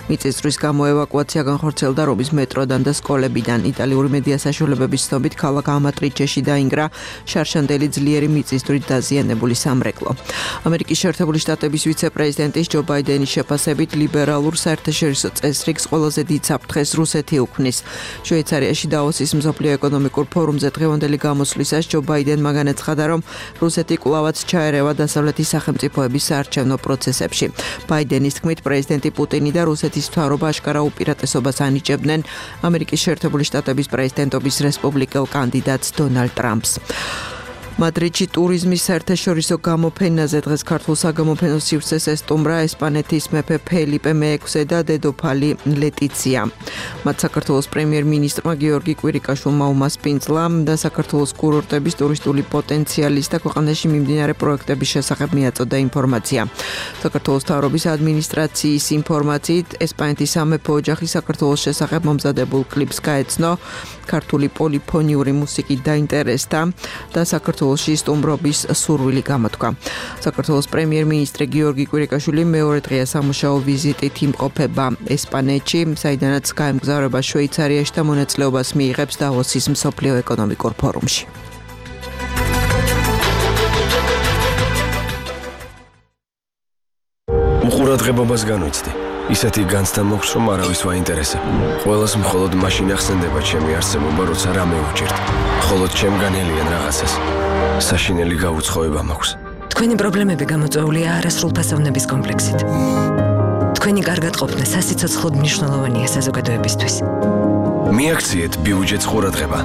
მიწის ზრვის გამო ევაკუაცია განხორციელდა რომის მეტროდან და სკოლებიდან. იტალიური მედია საშუალებების ცნობით ქალაქ ამატრიჩეში დაინგრა შარშანდელი ძლიერი მიწისძვრით დაზიანებული სამრეკლო. ამერიკის შეერთებული შტატების ვიცე-პრეზიდენტის ჯო ბაიდენის შეფასებით ლიბერალურ საერთაშორისო წესრიგს ყველაზე დიდ საფრთხეს რუსეთი უქმნის. შვეიცარიაში დაოსის მსოფლიო ეკონომიკურ ფორუმზე დღევანდელი გამოსვლისას ჯო ბაიდენმა განაცხადა, რომ რუსეთი კვლავაც ჩაერევა დასავლეთის სახელმწიფოების საარჩევნო პროცესებში. ბაიდენის თქმით, პრეზიდენტი პუტინი და რუსეთის მთავრობა აშკარა უპირატესობას ანიჭებდნენ ამერიკის შეერთებული შტატების პრეზიდენტობის რესპუბლიკელ კანდიდატს დონალდ ტრამპს. მადრიდში ტურიზმის საერთაშორისო გამოფენაზე დღეს ქართულ საგამოფენო სივრცეს ესტუმრა ესპანეთის მეფე ფელიპე მეექვსე და დედოფალი ლეტიცია. მათ საქართველოს პრემიერ-მინისტრმა გიორგი კვირიკაშვილმა უმასპინძლა და საქართველოს კურორტების ტურისტული პოტენციალის და ქვეყანაში მიმდინარე პროექტების შესახებ მიაწოდა ინფორმაცია. საქართველოს მთავრობის ადმინისტრაციის ინფორმაციით, ესპანეთის სამეფო ოჯახი საქართველოს შესახებ მომზადებულ კლიპს გაეცნო, ქართული პოლიფონიური მუსიკით დაინტერესდა და საქართველოში სტუმრობის სურვილი გამოთქვა. საქართველოს პრემიერ-მინისტრი გიორგი კვირიკაშვილი მეორე დღეა სამუშაო ვიზიტით იმყოფება ესპანეთში, საიდანაც გაემგზავრება შვეიცარიაში და მონაწილეობას მიიღებს დავოსის მსოფლიო ეკონომიკურ ფორუმში. უყურადღებობას განვიცდი. ისეთი განცდა მოხს, რომ არავის ვაინტერესებ. ყველას მხოლოდ მაშინ ახსენდება ჩემი არსებობა, როცა რამე უჭირთ. მხოლოდ ჩემგან ელიან რაღაცას. საშინელი გაუცხოება მაქვს. თქვენი პრობლემები გამოწვეულია არასრულფასოვნების კომპლექსით. თქვენი კარგად ყოფნა სასიცოცხლოდ მნიშვნელოვანია საზოგადოებისთვის. მიაქციეთ ბიუჯეტს ყურადღება.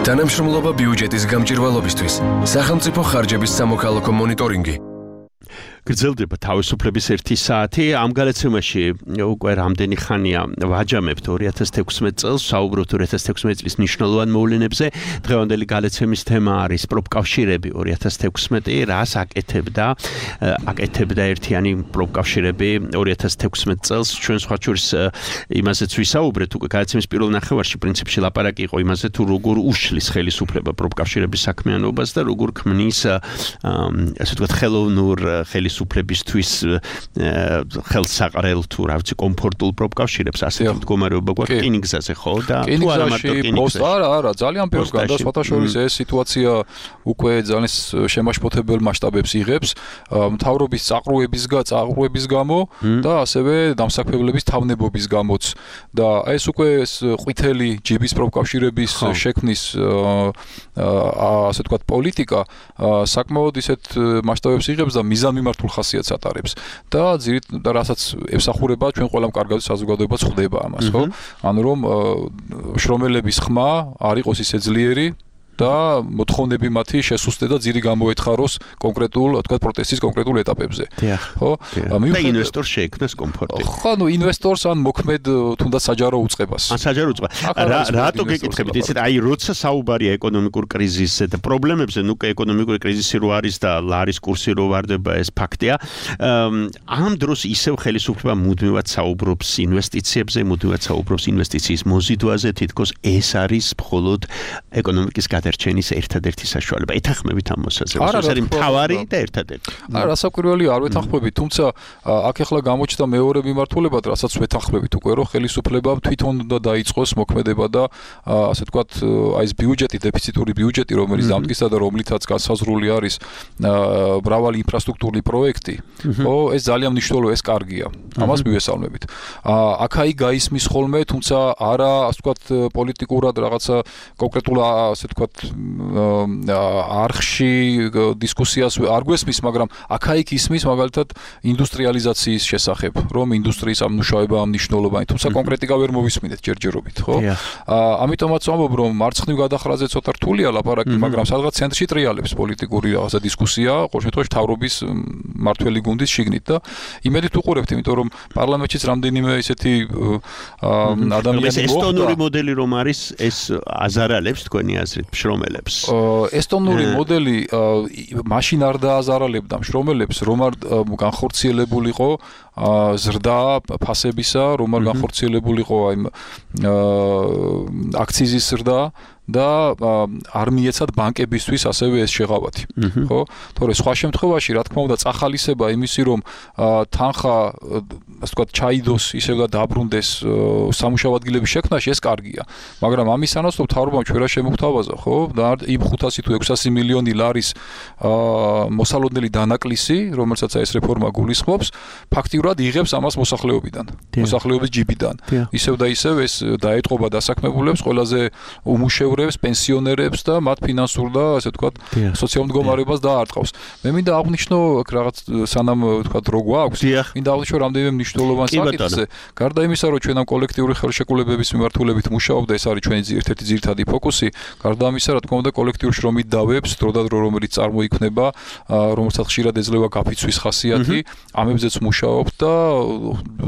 თანამშრომლობა ბიუჯეტის გამჭირვალობისთვის. სახელმწიფო ხარჯების სამოქალაქო მონიტორინგი. გრძელდება თავისუფლების ერთი საათი. ამ გადაცემაში უკვე რამდენი ხანია ვაჯამებთ ორი ათას თექვსმეტ წელს, საუბრობთ ორი ათას თექვსმეტ წლის მნიშვნელოვან მოვლენებზე. დღევანდელი გადაცემის თემა არის პროფკავშირები ორი ათას თექვსმეტი, რას აკეთებდა აკეთებდა ერთიანი პროფკავშირები ორი ათას თექვსმეტ წელს. ჩვენ სხვა შორის იმაზეც ვისაუბრეთ, უკვე გადაცემის პირველ ნახევარში პრინციპში ლაპარაკი იყო იმაზე, თუ როგორ უშლის ხელისუფლება პროფკავშირების საქმიანობას და როგორ ქმნის ასე ვთქვათ ხელოვნურ ხელის უფლებისთვის ხელსაყრელ თუ რა ვიცი კომფორტულ პროფკავშირებს ასეთი მდგომარეობა გვაქვს რკინიგზაზე ხო და თუ არა მარტო რკინიგზაზე არა არა ძალიან ბევრს გადასვათა შორის ეს სიტუაცია უკვე ძალიან შემაშფოთებელ მასშტაბებს იღებს მთავრობის წაყრუების წაყრუების გამო და ასევე დამსაქმებლების თავნებობის გამოც და ეს უკვე ყვითელი ჯიბის პროფკავშირების შექმნის ასე ვთქვათ პოლიტიკა საკმაოდ ისეთ მასშტაბებს იღებს და მიზანმიმართულ ხასიათს ატარებს და ძირით და რასაც ემსახურება ჩვენ ყველამ კარგად საზოგადოებაც ხვდება ამას ხო ანუ რომ შრომელების ხმა არ იყოს ისე ძლიერი და მოთხოვნები მათი შესუსტე და ძირი გამოეთხაროს კონკრეტულ თქვა პროტესტის კონკრეტულ ეტაპებზე ხო და ინვესტორს შეექმნას კომფორტი ხო ნუ ინვესტორს ან მოქმედ თუნდაც საჯარო უწყებას ან საჯარო უწყება რატო გეკითხებით იცით აი როცა საუბარია ეკონომიკურ კრიზისზე და პრობლემებზე ნუ ეკონომიკური კრიზისი რო არის და ლარის კურსი რო ვარდება ეს ფაქტია ამ დროს ისევ ხელისუფლება მუდმივად საუბრობს ინვესტიციებზე მუდმივად საუბრობს ინვესტიციის მოზიდვაზე თითქოს ეს არის მხოლოდ ეკონომიკის ერჩენის ერთადერთი საშუალება. ეთანხმებით ამ მოსაზრებას. ეს არის მთავარი და ერთადერთი. არა, რასაკვირველი არ ვეთანხმებით, თუმცა აქ ახლა გამოჩნდა მეორე მიმართულებად, რასაც ვეთანხმებით უკვე, რომ ხელისუფლებამ თვითონ უნდა დაიწყოს მოქმედება და ასე ვთქვათ, აი ეს ბიუჯეტი, დეფიციტური ბიუჯეტი, რომელიც დამტკიცდა და რომლითაც განსაზღვრული არის მრავალი ინფრასტრუქტურული პროექტი, ხო, ეს ძალიან მნიშვნელოვანია, ეს კარგია. ამას მივესალმებით. აქ-აი გაისმის ხოლმე, თუმცა არა, ასე ვთქვათ, პოლიტიკურად რაღაცა კონკრეტულ ასე ვთქვათ არხში დისკუსიას არ გვესმის, მაგრამ აქა-იქ ისმის მაგალითად ინდუსტრიალიზაციის შესახებ, რომ ინდუსტრიის ამ მუშაობა ამ მნიშვნელოვანი, თუმცა კონკრეტიკა ვერ მოვისმინეთ ჯერჯერობით, ხო? ამიტომაც ვამბობ, რომ მარცხნივ გადახრაზე ცოტა რთულია ლაპარაკი, მაგრამ სადღაც ცენტრში ტრიალებს პოლიტიკური რაღაცა დისკუსია, ყოველ შემთხვევაში მთავრობის მართველი გუნდის შიგნით და იმედით უყურებთ, იმიტომ რომ პარლამენტშიც რამდენიმე ისეთი ადამიანი მოხდა. ესტონური მოდელი რომ არის, ეს აზარალებს თქვენი აზრით მშრომელებს. ესტონური მოდელი მაშინ არ დააზარალებდა მშრომელებს, რომ არ განხორციელებულიყო ზრდა ფასებისა, რომ არ განხორციელებულიყო აი აქციზის ზრდა და არ მიეცათ ბანკებისთვის ასევე ეს შეღავათი, ხო? თორე სხვა შემთხვევაში, რა თქმა უნდა, წახალისება იმისი, რომ თანხა, ასე ვთქვათ, ჩაიდოს ისევ და დაბრუნდეს სამუშაო ადგილების შექმნაში, ეს კარგია. მაგრამ ამის სანაცვლოდ მთავრობამ ჩვენ რა შემოგთავაზა, ხო? და იმ ხუთასი თუ ექვსასი მილიონი ლარის მოსალოდნელი დანაკლისი, რომელსაც ეს რეფორმა გულისხმობს, ფაქტიურად იღებს ამას მოსახლეობიდან, მოსახლეობის ჯიბიდან. ისევ და ისევ ეს დაეტყობა დასაქმებულებს, ყველაზე უმუშევრ პენსიონერებს და მათ ფინანსურ და ასე ვთქვათ სოციალურ მდგომარეობას დაარტყავს. მე მინდა აღვნიშნო რაღაც სანამ ვთქვათ რო გვაქვს, მინდა აღვნიშნო რამდენიმე მნიშვნელოვან საკითხზე. გარდა იმისა, რომ ჩვენ ამ კოლექტიური ხელშეკრულებების მიმართულებით მუშაობდა, ეს არის ჩვენი ერთ-ერთი ძირითადი ფოკუსი. გარდა ამისა, რა თქმა უნდა, კოლექტიურ შრომით დავებს, დროდადრო რომელიც წარმოიქმნება, რომელსაც ხშირად ეძლევა გაფიცვის ხასიათი, ამებზეც მუშაობთ და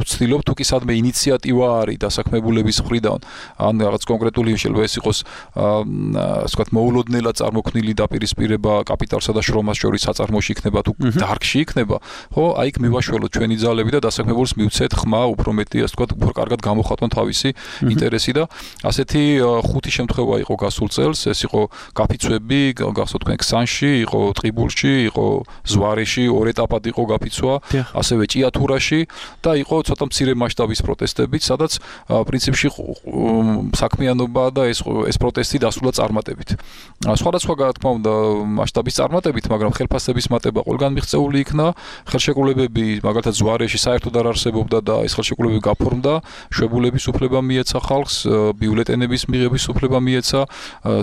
ვცდილობ თუ კი სადმე ინიციატივა არის დასაქმებულების მხრიდან, ან რაღაც კონკრეტული შეიძლება ეს იყოს ასე ვთქვათ, მოულოდნელად წარმოქმნილი დაპირისპირება კაპიტალსა და შრომას შორის საწარმოში იქნება თუ დარგში იქნება, ხო, აი იქ მივაშველოთ ჩვენი ძალები და დასაქმებულს მივცეთ ხმა უფრო მეტი, ასე ვთქვათ, უფრო კარგად გამოხატონ თავისი ინტერესი და ასეთი ხუთი შემთხვევა იყო გასულ წელს, ეს იყო გაფიცვები, გახსოვთ თქვენ ქსანში, იყო ტყიბულში, იყო ზვარეში, ორ ეტაპად იყო გაფიცვა, ასევე ჭიათურაში და იყო ცოტა მცირე მასშტაბის პროტესტებიც, სადაც პრინციპში საქმიანობა და ეს ეს პროტესტი დასრულდა წარმატებით. სხვადასხვა რა თქმა უნდა მასშტაბის წარმატებით, მაგრამ ხელფასების მატება ყველგან მიღწეული იქნა, ხელშეკრულებები მაგალითად ზვარეში საერთოდ არ არსებობდა და ეს ხელშეკრულებები გაფორმდა, შვებულების უფლება მიეცა ხალხს, ბიულეტენების მიღების უფლება მიეცა,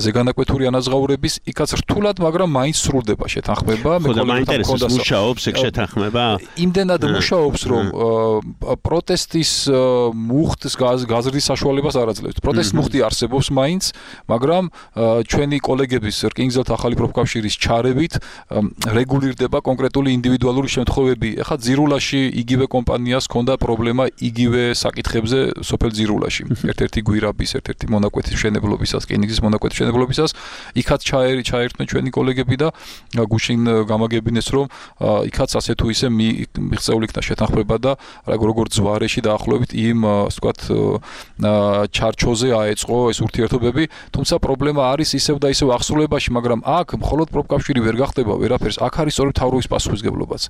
ზეგანაკვეთური ანაზღაურების, იქაც რთულად, მაგრამ მაინც სრულდება შეთანხმება. მე კოლექტივთან მუშაობს ეგ შეთანხმება? იმდენად მუშაობს, რომ პროტესტის მუხტს გაზრდის საშუალებას არ აძლევს. პროტესტის მუხტი არსებობს მაინც, მაგრამ ჩვენი კოლეგების რკინიგზელთა ახალი პროფკავშირის ჩარევით რეგულირდება კონკრეტული ინდივიდუალური შემთხვევები. ეხლა ძირულაში იგივე კომპანიას ჰქონდა პრობლემა იგივე საკითხებზე სოფელ ძირულაში. ერთ-ერთი გვირაბის, ერთ-ერთი მონაკვეთის მშენებლობისას, რკინიგზის მონაკვეთის მშენებლობისას, იქაც ჩაერთმენ ჩვენი კოლეგები და გუშინ გამაგებინეს, რომ იქაც ასე თუ ისე მიღწეული იქნა შეთანხმება და როგორც ზვარეში დაახლოებით იმ, ასე ვთქვათ, ჩარჩოზე აეწყო ეს ურთიერთობები, თუმცა პრობლემა არის ისევ და ისევ აღსრულებაში, მაგრამ აქ მხოლოდ პროფკავშირი ვერ გახდება ვერაფერს, აქ არის სწორედ მთავრობის პასუხისმგებლობაც.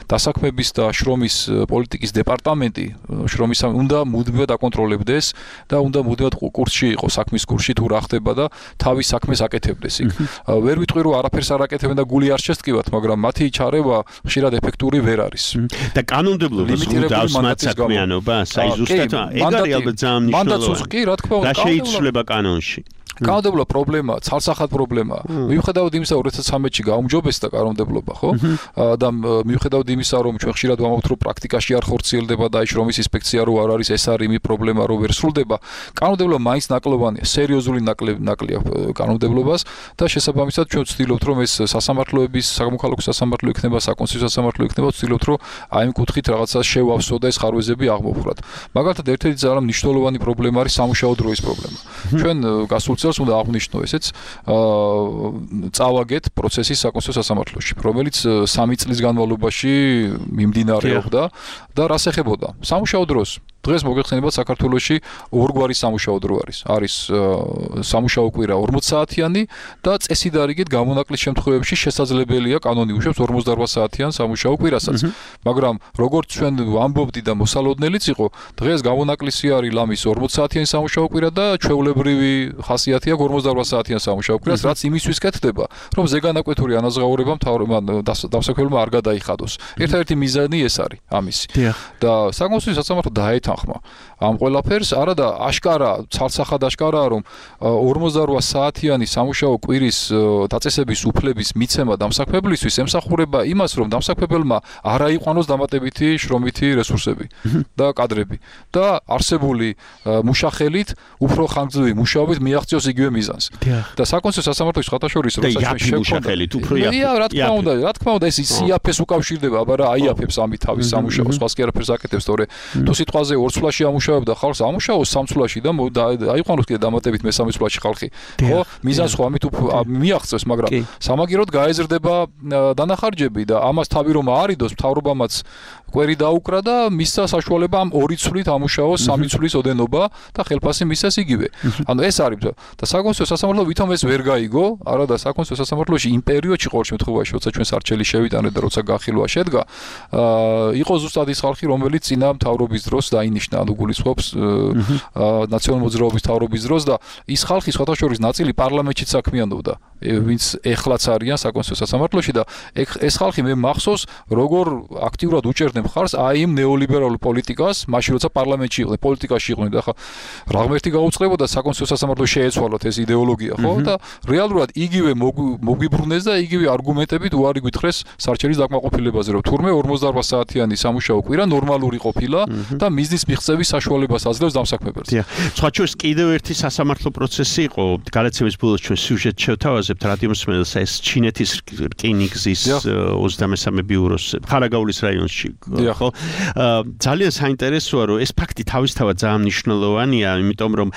დასაქმების და შრომის პოლიტიკის დეპარტამენტი შრომის უნდა მუდმივად აკონტროლებდეს და უნდა მუდმივად კურსში იყოს, საქმის კურსში თუ რა ხდება და თავის საქმეს აკეთებდეს იქ. ვერ ვიტყვი რომ არაფერს არ აკეთებენ და გული არ შესტკივათ, მაგრამ მათი ჩარევა ხშირად ეფექტური ვერ არის. და კანონმდებლობას გულდავს მათ საქმიანობას, აი ზუსტად ეგ არის ალბათ ძალიან მნიშვნელოვანი. მანდატს კი, რა თქმა უნდა, და შეიცვლება კანონში. კანონმდებლობა პრობლემა, ცალსახად პრობლემა. მიუხედავად იმისა, რომ როდესაც სამეთში გაუმჯობესდა კანონმდებლობა, ხო? და მიუხედავად იმისა, რომ ჩვენ ხშირად ვამბობთ, რომ პრაქტიკაში არ ხორციელდება და აი შრომის ინსპექცია რო არ არის, ეს არის იმი პრობლემა, რომ ვერ სრულდება. კანონმდებლობა მაინც ნაკლოვანია, სერიოზული ნაკლია კანონმდებლობას და შესაბამისად ჩვენ ვცდილობთ, რომ ეს სასამართლოების, სამოქალაქო სასამართლო იქნება, საკონსტიტუციო სასამართლო იქნება, ვცდილობთ, რომ აი იმ კუთხით რაღაცა შევავსო და ეს ხარვეზები აღმოფხვრათ. მაგალითად, ერთ-ერთი ძალიან მნიშვნელოვანი პრობლემა არის სამუშაო დროის პრობლემა. ჩვენ გასულ წელს უნდა აღვნიშნო ესეც წავაგეთ პროცესის საკონსტიტუციო სასამართლოში, რომელიც სამი წლის განმავლობაში მიმდინარეობდა და რას ეხებოდა? სამუშაო დროს. დღეს მოგეხსენებათ საქართველოში ორგვარი სამუშაო დრო არის. არის სამუშაო კვირა ორმოც საათიანი და წესიდარიგით გამონაკლის შემთხვევებში შესაძლებელია კანონი უშვებს ორმოცდაოთხ საათიან სამუშაო კვირასაც. მაგრამ როგორც ჩვენ ვამბობდი და მოსალოდნელიც იყო, დღეს გამონაკლისი არის ლამის ორმოც საათიანი სამუშაო კვირა და ჩვეულებრივი ხასიათი აქვს ორმოცდაოთხ საათიან სამუშაო კვირას, რაც იმისთვის კეთდება, რომ ზეგანაკვეთური ანაზღაურება მთავრობამ დასაქმებულმა არ გადაიხადოს. ერთადერთი მიზანი ეს არის ამისი. და საკონსტიტუციო სასამართლო დაეთ მითანხმა ამ ყველაფერს არა და აშკარა ცალსახად აშკარაა რომ ორმოცდაოთხ საათიანი სამუშაო კვირის დაწესების უფლების მიცემა დამსაქმებლისთვის ემსახურება იმას რომ დამსაქმებელმა არ აიყვანოს დამატებითი შრომითი რესურსები და კადრები და არსებული მუშახელით უფრო ხანგრძლივი მუშაობით მიაღწიოს იგივე მიზანს და საკონსულტაციო სასამართლოს ხათაშორის როცა მუშახელით უფრო იაფი რა თქმა უნდა რა თქმა უნდა ეს სიაფეს უკავშირდება აბა რა აიაფებს ამით თავის სამუშაოს სხვას კი არაფერს აკეთებს თორე თუ სიტყვაზე ორ წლაში ამუშავებდა ხალხს ამუშაოს სამ წლაში და აიყვანოს კიდე დამატებით მესამე წლაში ხალხი ხო მიზანს ხო ამით მიაღწევს მაგრამ სამაგიეროდ გაეზრდება დანახარჯები და ამას თავი რომ აარიდოს მთავრობამაც კვერი დაუკრა და მისცა საშუალება ამ ორი წლით ამუშაოს სამი წლის ოდენობა და ხელფასი მისცეს იგივე ანუ ეს არის და საკონსულტაციო სასამართლო ვითომ ეს ვერ გაიგო არა და საკონსულტაციო სასამართლოში იმ პერიოდში ყოველ შემთხვევაში როცა ჩვენ სარჩელი შევიტანეთ და როცა გახილვა შედგა იყო ზუსტად ის ხალხი რომელიც წინა მთავრობის დროს დაინიშნა ანუ გულისხმობს ნაციონალური მოძრაობის მთავრობის დროს და ის ხალხი სხვათა შორის ნაწილი პარლამენტშიც საქმიანობდა ვინც ეხლაც არიან საკონსულტაციო სასამართლოში და ეს ხალხი მე მახსოვს როგორ აქტიურად უჭერდნენ მხარს აი იმ ნეოლიბერალურ პოლიტიკას მაშინ როცა პარლამენტში იყვნენ პოლიტიკაში იყვნენ და ხა რა ღმერთი გაუწყდებოდა საკონსულტაციო სასამართლოს შეეცვალოთ ეს იდეოლოგია ხო და რეალურად იგივე მოგვიბრუნეს და იგივე არგუმენტებით უარი გვითხრეს სარჩელის დაკმაყოფილებაზე რომ თურმე ორმოცდაოთხ საათიანი სამუშაო კვირა ნორმალური ყოფილა და მიზნის მიღწევის საშუალებას აძლევს დამსაქმებელს. სხვა შორის კიდევ ერთი სასამართლო პროცესი იყო გადაცემის ბოლოს ჩვენ სიუჟეტ შევთავაზებთ რადიომსმენელს ეს ჩინეთის რკინიგზის ოცდამესამე ბიუროს ხარაგაულის რაიონში ხო ძალიან საინტერესოა რომ ეს ფაქტი თავისთავად ძალიან მნიშვნელოვანია იმიტომ რომ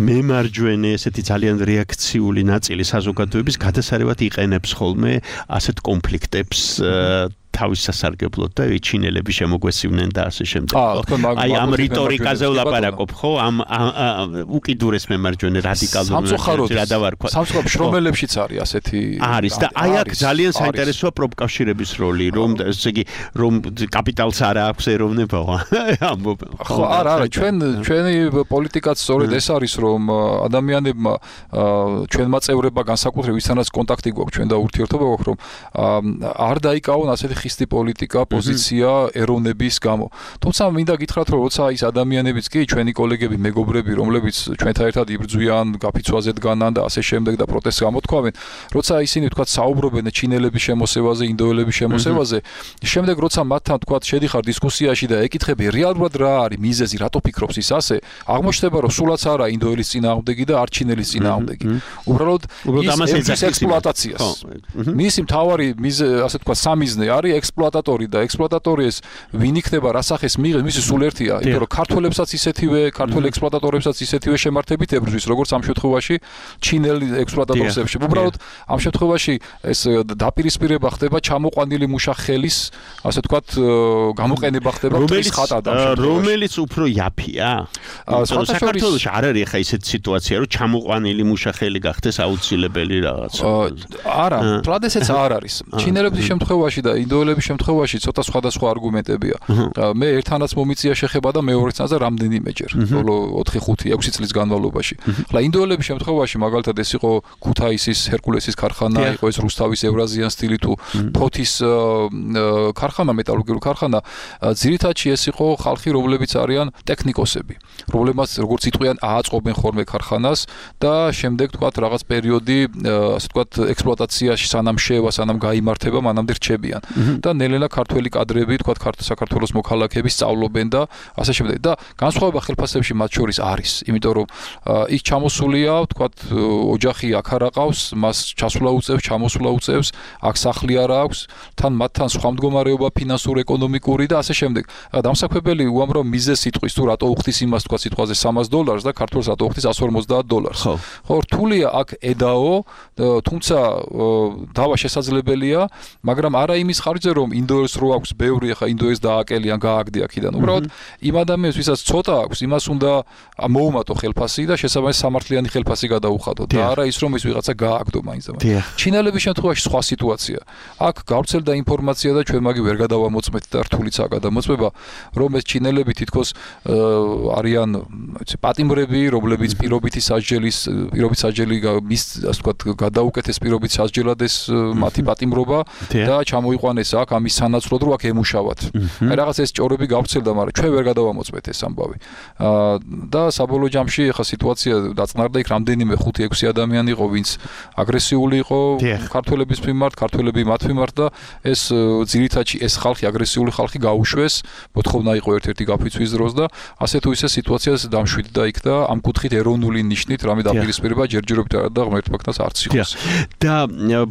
მემარჯვენე ესეთი ძალიან რეაქციული ნაწილი საზოგადოების გადასარევად იყენებს ხოლმე ასეთ კონფლიქტებს თავის სასარგებლოდ და ჩინელები შემოგვესივნენ და ასე შემდეგ. აი ამ რიტორიკაზე ვლაპარაკობ ხო? ამ უკიდურეს მემარჯვენე რადიკალურ რა დავარქვა. სამწუხაროდ შრომელებშიც არის ასეთი არის და აი აქ ძალიან საინტერესოა პროპკავშირების როლი, რომ ესე იგი რომ კაპიტალს არ აქვს ეროვნება. ხო, არა, არა, ჩვენ ჩვენი პოლიტიკაც სწორედ ეს არის, რომ ადამიანებმა ჩვენმა წევრებმა განსაკუთრებით ვისთანაც კონტაქტი გვაქვს, ჩვენ და ურთიერთობა გვაქვს, რომ არ დაიკავონ ასეთი ხისტი პოლიტიკა, პოზიცია ეროვნების გამო. თუმცა მინდა გითხრათ, რომ როცა ის ადამიანებიც კი ჩვენი კოლეგები, მეგობრები, რომლებიც ჩვენთან ერთად იბრძვიან, გაფიცვაზე დგანან და ასე შემდეგ და პროტესტს გამოთქვამენ, როცა ისინი თქვათ საუბრობენ ჩინელების შემოსევაზე, ინდოელების შემოსევაზე, შემდეგ როცა მათთან თქვათ შედიხარ დისკუსიაში და ეკითხები რეალურად რა არის მიზეზი, რატო ფიქრობს ის ასე, აღმოჩნდება, რომ სულაც არა ინდოელის წინააღმდეგი და არ ჩინელის წინააღმდეგი. უბრალოდ ის ექსპლუატაციას. მისი მთავარი ასე თქვათ სამიზნე არის ექსპლუატატორი და ექსპლუატატორი ეს ვინ იქნება რა სახეს მიიღებს მისი სულ ერთია იმიტომ რომ ქართველებსაც ისეთივე ქართველ ექსპლუატატორებსაც ისეთივე შემართებით ებრძვის როგორც ამ შემთხვევაში ჩინელი ექსპლუატატორებს ებრძვის უბრალოდ ამ შემთხვევაში ეს დაპირისპირება ხდება ჩამოყვანილი მუშახელის ასე ვთქვათ გამოყენება ხდება ტრის ხატად რომელიც უფრო იაფია საქართველოს არ არის ხა ისეთი სიტუაცია რომ ჩამოყვანილი მუშახელი გახდეს აუცილებელი რაღაც არა პრადესეც არ არის ჩინელების შემთხვევაში და ინდოელების შემთხვევაში ცოტა სხვადასხვა არგუმენტებია. მე ერთანაც მომიწია შეხება და მეორეცაც და რამდენიმეჯერ, ბოლო ოთხი ხუთი ექვსი წლის განმავლობაში. ხლა ინდოელების შემთხვევაში მაგალითად ეს იყო ქუთაისის ჰერკულესის ქარხანა, იყო ეს რუსთავის ევრაზიან სტილი თუ ფოთის ქარხანა, მეტალურგიული ქარხანა, ძირითადში ეს იყო ხალხი, რომლებიც არიან ტექნიკოსები, რომლებმაც როგორც იტყვიან ააწყობენ ხოლმე ქარხანას და შემდეგ თქვათ რაღაც პერიოდი, ასე თქვათ ექსპლუატაციაში სანამ შევა, სანამ გაიმართება, მანამდე რჩებიან. და ნელ-ნელა ქართველი კადრები, თქვათ საქართველოს მოქალაქეები სწავლობენ და ასე შემდეგ. და განსხვავება ხელფასებში მათ შორის არის, იმიტომ რომ ის ჩამოსულია, თქვათ ოჯახი აქ არ აყავს, მას ჩასვლა უწევს, ჩამოსვლა უწევს, აქ სახლი არ აქვს, თან მათთან სხვა მდგომარეობა ფინანსური, ეკონომიკური და ასე შემდეგ. დამსაქმებელი უამრავ მიზეზს იტყვის, თუ რატო უხდის იმას, თქვათ სიტყვაზე სამას დოლარს და ქართველს რატო უხდის εκατს ორმოცდაათ დოლარს. ხო, რთულია აქ ედაო, თუმცა დავა შესაძლებელია, მაგრამ არა იმის ხარჯზე რომ ინდოელს რო აქვს ბევრი ახლა ინდოელს დააკელიან გააგდი აქედან უბრალოდ იმ ადამიანს ვისაც ცოტა აქვს იმას უნდა მოუმატო ხელფასი და შესაბამისად სამართლიანი ხელფასი გადაუხადო და არა ის რომ ის ვიღაცა გააგდო მაინც და მაინც ჩინელების შემთხვევაში სხვა სიტუაცია აქ გავრცელდა ინფორმაცია და ჩვენ მაგი ვერ გადავამოწმეთ და რთულიცაა გადამოწმება რომ ეს ჩინელები თითქოს არიან ვიცი პატიმრები რომლებიც პირობითი სასჯელის პირობით სასჯელი მის ასე ვთქვათ გადაუკეთეს პირობით სასჯელად ეს მათი პატიმრობა და ჩამოიყვანეს აქ ამის სანაცვლოდ რომ აქ ემუშავათ. აი რაღაც ეს ჭორები გავცელდა, მაგრამ ჩვენ ვერ გადავამოწმეთ ეს ამბავი. და საბოლოო ჯამში ახლა სიტუაცია დაწყნარდა, იქ რამდენიმე ხუთი ექვსი ადამიანი იყო, ვინც აგრესიული იყო ქართველების მიმართ, ქართველები მათ მიმართ და ეს ძირითადში ეს ხალხი აგრესიული ხალხი გაუშვეს, მოთხოვნა იყო ერთ-ერთი გაფიცვის დროს და ასე თუ ისე სიტუაციას დამშვიდდა იქ და ამ კუთხით ეროვნული ნიშნით რამე დაპირისპირება ჯერჯერობით და ღმერთმაგდას არც იყოს. და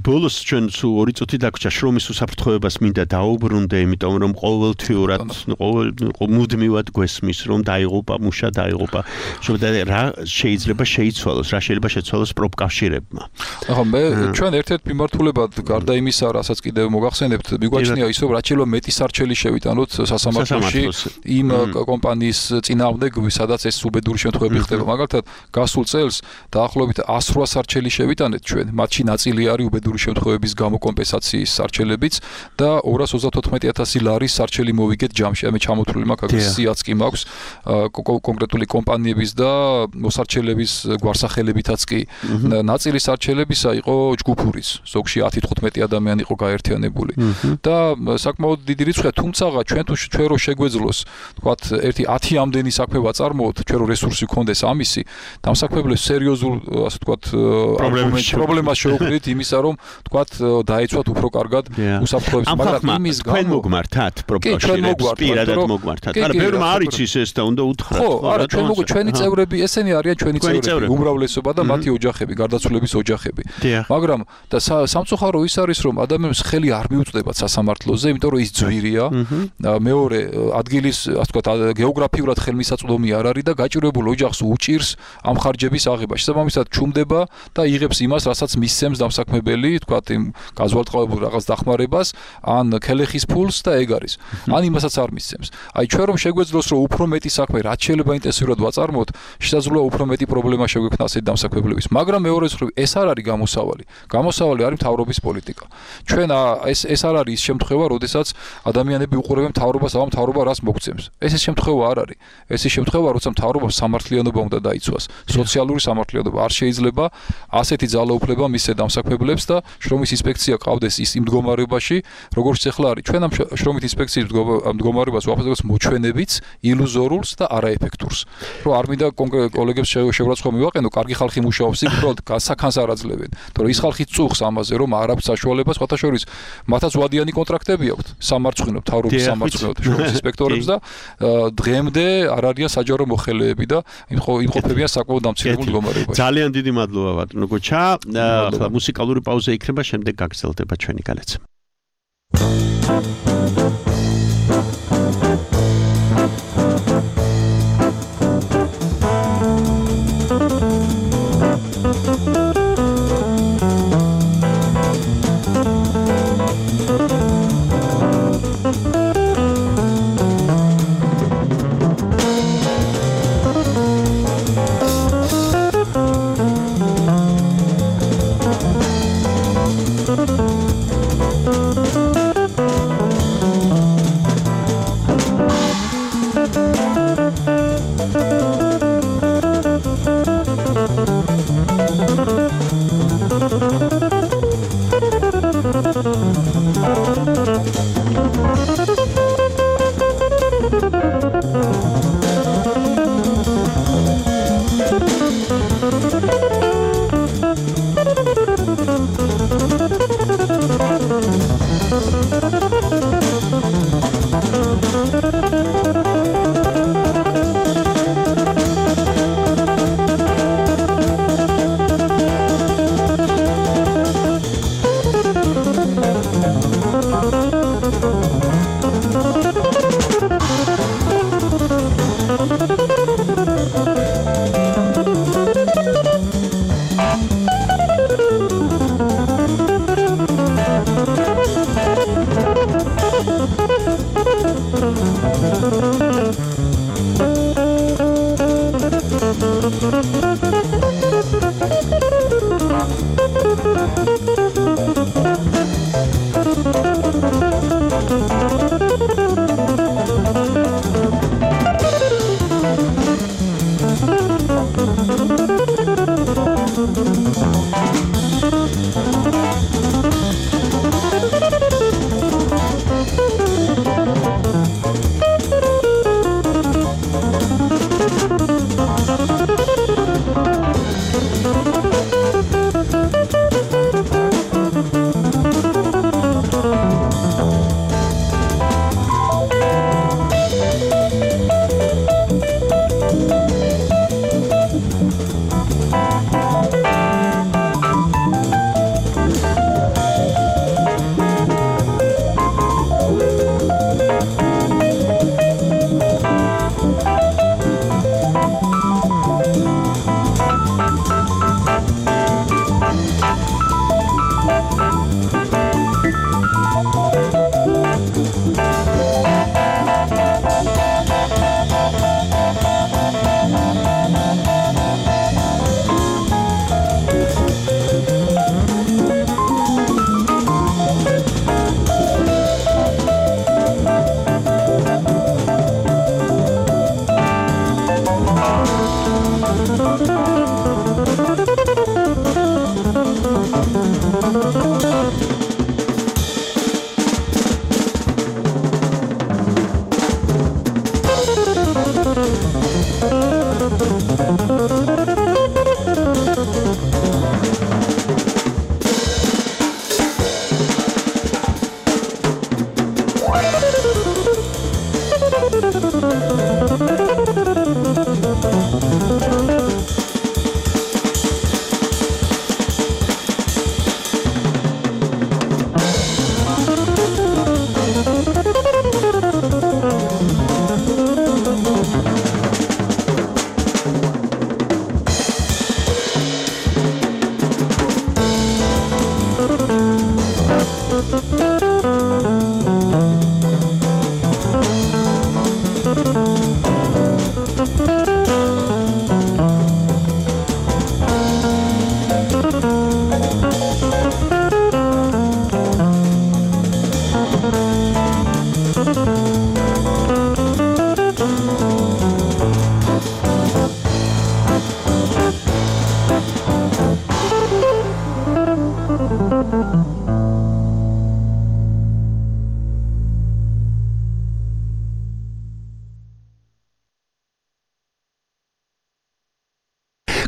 ბოლოს ჩვენ სულ ორი წუთი დაგვრჩა შრომის უსაფრთხოებას მინდა დაუბრუნდე, იმიტომ რომ ყოველთვიურად ყოველ მუდმივად გვესმის რომ დაიღუპა მუშა დაიღუპა. შობდა რა შეიძლება შეიცვალოს, რა შეიძლება შეცვალოს პროფკავშირებმა. ახლა მე ჩვენ ერთ-ერთ მიმართულებად გარდა იმისა, რასაც კიდევ მოგახსენებთ, მიგვაჩნია ის რომ რაც შეიძლება მეტი სარჩელი შევიტანოთ სასამართლოში იმ კომპანიის წინააღმდეგ, სადაც ეს უბედური შემთხვევები ხდება. მაგალითად, გასულ წელს დაახლოებით εκατს რვა სარჩელი შევიტანეთ ჩვენ, მათში ნაწილი არის უბედური შემთხვევების გამო კომპენსაციის სარჩელებიც და ორას ოცდათოთხმეტი ათასი ლარის სარჩელი მოვიგეთ ჯამში. მე ჩამოთვლილი მაქვს, სიაც კი მაქვს კონკრეტული კომპანიების და მოსარჩელების გვარსახელებითაც კი. ნაწილი სარჩელებისა იყო ჯგუფურიც, ზოგში ათი თხუთმეტი ადამიანი იყო გაერთიანებული. და საკმაოდ დიდი რიცხვია, თუმცა ჩვენ თუ ჩვენ რო შეგვეძლოს, თქვათ, ერთი ათი ამდენი საქმე ვაწარმოოთ, ჩვენ რო რესურსი გქონდეს ამისი, დამსაქმებლებს სერიოზულ, ასე ვთქვათ, პრობლემას შეუქმნით იმისა, რომ თქვათ, დაეცვათ უფრო კარგად უსაფრთხოების, მაგრამ იმის გამო ჩვენ მოგმართათ პროფკავშირებს, პირადად მოგმართათ. არა, ბევრმა არ იცის ეს და უნდა უთხრათ. ხო, არა, ჩვენ მოგ ჩვენი წევრები, ესენი არიან ჩვენი წევრები, უმრავლესობა და მათი ოჯახები, გარდაცვლების ოჯახები. მაგრამ და სამწუხარო ის არის, რომ ადამიანებს ხელი არ მიუწვდებათ სასამართლოზე, იმიტომ რომ ის ძვირია. მეორე ადგილის, ასე ვთქვათ, გეოგრაფიულად ხელმისაწვდომი არ არის და გაჭირებულ ოჯახს უჭირს ამ ხარჯების აღება. შესაბამისად, ჩუმდება და იღებს იმას, რასაც მისცემს დამსაქმებელი, ვთქვათ, იმ გაზვალტყავებულ რაღაც დახმარებას, ან ქელეხის ფულს და ეგ არის. ან იმასაც არ მისცემს. აი ჩვენ რომ შეგვეძლოს, რომ უფრო მეტი საქმე, რაც შეიძლება ინტენსიურად ვაწარმოოთ, შესაძლოა უფრო მეტი პრობლემა შეგვექმნა ასეთ დამსაქმებლების. მაგრამ მეორე მხრივ ეს არ არის გამოსავალი. გამოსავალი არის მთავრობის პოლიტიკა. ჩვენ ეს ეს არ არის ის შემთხვევა, როდესაც ადამიანები უყურებენ მთავრობას, ამ მთავრობა რას მოგცემს. ეს ეს შემთხვევა არ არის. ეს ის შემთხვევა, როცა მთავრობამ სამართლიანობა უნდა დაიცვას. სოციალური სამართლიანობა არ შეიძლება ასეთი ძალაუფლება მისცეს დამსაქმებლებს და შრომის ინსპექცია ყავდეს ის იმ მდგომარეობაში, როგორც ახლა არის. ჩვენ ამ შრომის ინსპექციის მდგომარეობას ვაფასებთ მოჩვენებიც, ილუზორულს და არაეფექტურს. რომ არ მინდა კოლეგებს შეურაცხყოფა მივაყენო, კარგი ხალხი მუშაობს იქ, უბრალოდ საკანს არ აძლევენ. თორე ის ხალხი წუხს ამაზე, რომ არ აქვს საშუალება, სხვათა შორის მათაც ვადიანი კონტრაქტები აქვთ, სამარცხვინო, მთავრობის სამარცხვინო შრომის ინსპექტორებს და დღემდე არ არიან საჯარო მოხელეები და იმყოფებიან საკმაოდ დამცირებულ მდგომარეობაში. ძალიან დიდი მადლობა ბატონო გოჩა. ახლა მუსიკალური პაუზა იქნება, შემდეგ გაგრძელდება ჩვენი განაცემა.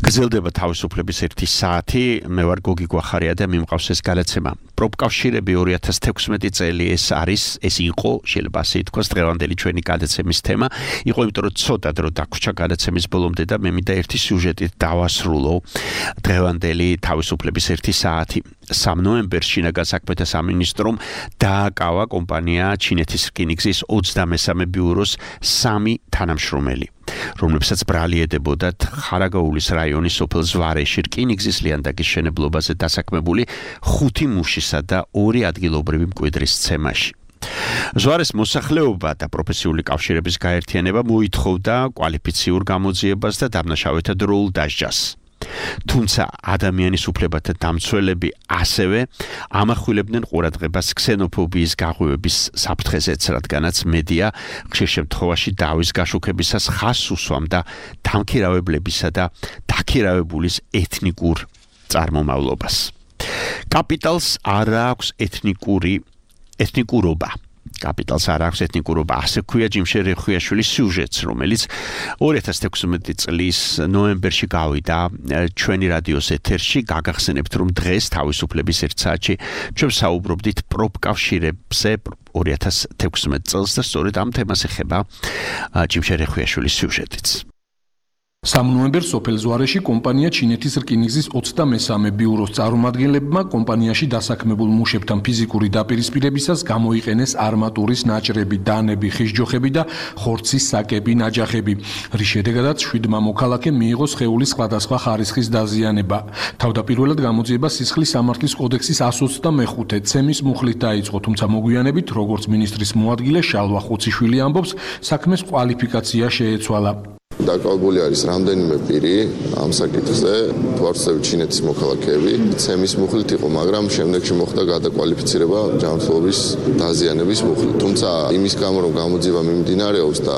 გრძელდება თავისუფლების ერთი საათი, მე ვარ გოგი გვახარია და მიმყავს ეს გადაცემა. პროპკავშირები ორი ათას თექვსმეტი წელი ეს არის, ეს იყო, შეიძლება ასე ითქვას, დღევანდელი ჩვენი გადაცემის თემა. იყო იმიტომ რომ ცოტა დრო დაგვრჩა გადაცემის ბოლომდე და მე მინდა ერთი სიუჟეტით დავასრულო დღევანდელი თავისუფლების ერთი საათი. სამ ნოემბერს შინაგან საქმეთა სამინისტრომ დააკავა კომპანია ჩინეთის რკინიგზის ოცდამესამე ბიუროს სამი თანამშრომელი, რომლებსაც ბრალი ედებოდათ ხარაგაულის რაიონის სოფელ ზვარეში რკინიგზის ლიანდაგის შენებლობაზე დასაქმებული ხუთი მუშისა და ორი ადგილობრივი მკვიდრის ცემაში. ზვარეს მოსახლეობა და პროფესიული კავშირების გაერთიანება მოითხოვდა კვალიფიციურ გამოძიებას და დამნაშავეთა დროულ დასჯას. თუმცა ადამიანის უფლებათა დამცველები ასევე ამახვილებდნენ ყურადღებას ქსენოფობიის გაღვივების საფრთხეზეც, რადგანაც მედია ხშირ შემთხვევაში დავის გაშუქებისას ხაზს უსვამდა დამქირავებლებისა და დაქირავებულის ეთნიკურ წარმომავლობას. კაპიტალს არ აქვს ეთნიკური ეთნიკურობა. კაპიტალს არ აქვს ეთნიკურობა, ასე ქვია ჯიმშე რეხვიაშვილის სიუჟეტს, რომელიც ორი ათას თექვსმეტი წლის ნოემბერში გავიდა ჩვენი რადიოს ეთერში. გაგახსენებთ, რომ დღეს თავისუფლების ერთ საათში ჩვენ საუბრობდით პროპკავშირებზე ორი ათას თექვსმეტ წელს და სწორედ ამ თემას ეხება ჯიმშე რეხვიაშვილის სიუჟეტიც. სამ ნოემბერს სოფელ ზვარეში კომპანია ჩინეთის რკინიგზის ოცდამესამე ბიუროს წარმომადგენლებმა კომპანიაში დასაქმებულ მუშებთან ფიზიკური დაპირისპირებისას გამოიყენეს არმატურის ნაჭრები, დანები, ხისჯოხები და ხორცის საკები, ნაჯახები, რის შედეგადაც შვიდმა მოქალაქემ მიიღო სხეულის სხვადასხვა ხარისხის დაზიანება. თავდაპირველად გამოძიება სისხლის სამართლის კოდექსის εκατს ოცდამეხუთე ცემის მუხლით დაიწყო, თუმცა მოგვიანებით, როგორც მინისტრის მოადგილე შალვა ხუციშვილი ამბობს, საქმეს კვალიფიკაცია შეეცვალა. დაკავებული არის რამდენიმე პირი ამ საკითხზე, თვალსაჩინო ჩინეთის მოქალაქეები, ცემის მუხლით იყო, მაგრამ შემდეგში მოხდა გადაკვალიფიცირება ჯანმრთელობის დაზიანების მუხლით. თუმცა იმის გამო, რომ გამოძიება მიმდინარეობს და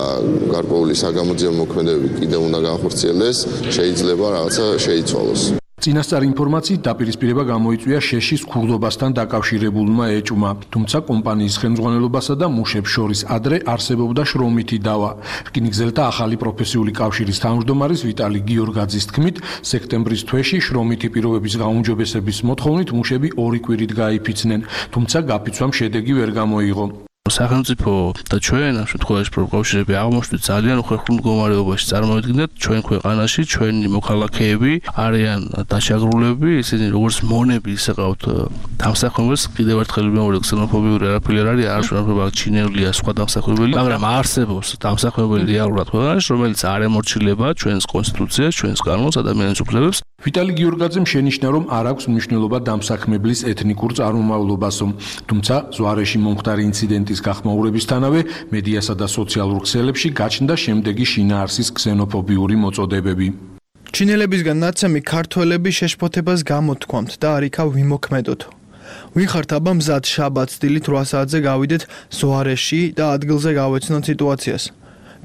გარკვეული საგამოძიებო მოქმედებები კიდევ უნდა განხორციელდეს, შეიძლება რაღაცა შეიცვალოს. წინასწარ ინფორმაციით დაპირისპირება გამოიწვია შეშის ქურდობასთან დაკავშირებულმა ეჭვმა, თუმცა კომპანიის ხელმძღვანელობასა და მუშებს შორის ადრე არსებობდა შრომითი დავა. რკინიგზელთა ახალი პროფესიული კავშირის თავმჯდომარის ვიტალი გიორგაძის თქმით, სექტემბრის თვეში შრომითი პირობების გაუმჯობესების მოთხოვნით მუშები ორი კვირით გაიფიცნენ, თუმცა გაფიცვამ შედეგი ვერ გამოიღო. სახელმწიფო და ჩვენ ამ შემთხვევაში პროფკავშირები აღმოჩნდით ძალიან უხერხულ მდგომარეობაში. წარმოვიდგინეთ, ჩვენ ქვეყანაში ჩვენი მოქალაქეები არიან დაშაგრულები, ისინი როგორც მონები ისე ყავთ დამსახურებელს, კიდევ ერთხელ მეორე ქსენოფობიური არაფერი არ არის, არ შეიძლება ჩინელია სხვა დამსახურებელი, მაგრამ არსებობს დამსახურებელი რეალურად ქვეყანაში, რომელიც არ ემორჩილება ჩვენს კონსტიტუციას, ჩვენს კანონს, ადამიანის უფლებებს. ვიტალი გიორგაძემ შენიშნა, რომ არ აქვს მნიშვნელობა დამსაქმებლის ეთნიკურ წარმომავლობასო, თუმცა ზვარეში მომხდარი ინციდენტის გახმაურებისთანავე მედიასა და სოციალურ ქსელებში გაჩნდა შემდეგი შინაარსის ქსენოფობიური მოწოდებები. ჩინელებისგან ნაცემი ქართველები შეშფოთებას გამოთქვამთ და არ იქა ვიმოქმედოთ. ვიხართ აბა მზად შაბათს დილით რვა საათზე გავიდეთ ზვარეში და ადგილზე გავეცნოთ სიტუაციას.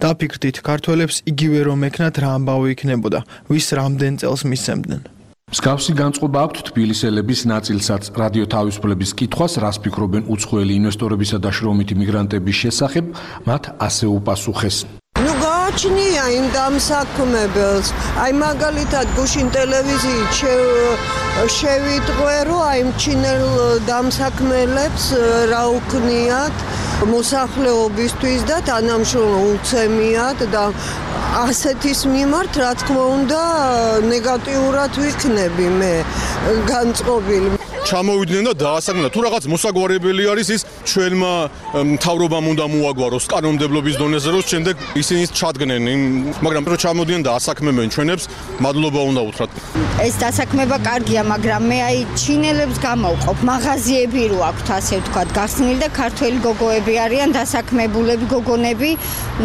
დაფიქრდით, ქართველებს იგივე რომ ეკნათ რა ამბავი იქნებოდა, ვის რამდენ წელს მისცემდნენ. მსგავსი განწყობა აქვთ თბილისელების ნაწილსაც. რადიო თავისუფლების კითხვას, რას ფიქრობენ უცხოელი ინვესტორებისა და შრომითი მიგრანტების შესახებ, მათ ასე უპასუხეს. ნუ გააჩნია იმ დამსაქმებელს. აი მაგალითად გუშინ ტელევიზიით შევიტყვე, რომ აი ჩინელ დამსაქმელებს რა უქნიათ მოსახლეობისთვის და თანამშრომლ უცემიათ და ასეთის მიმართ რა თქმა უნდა ნეგატიურად ვიქნები მე განწყობილი. ჩამოვიდნენ და დაასაკმენა თუ რაღაც მოსაგვარებელი არის ის ჩვენმა მთავრობამ უნდა მოაგვაროს კანონმდებლობის დონეზე რომ შემდეგ ისინი ჩადგნენ მაგრამ რო ჩამოდიან და ასაქმებენ ჩვენებს მადლობა უნდა უთხრათ. ეს დასაქმება კარგია მაგრამ მე აი ჩინელებს გამოვყოფ მაღაზიები რო აქვთ ასე ვთქვათ გახსნილი და ქართველი გოგოები არიან დასაქმებულები გოგონები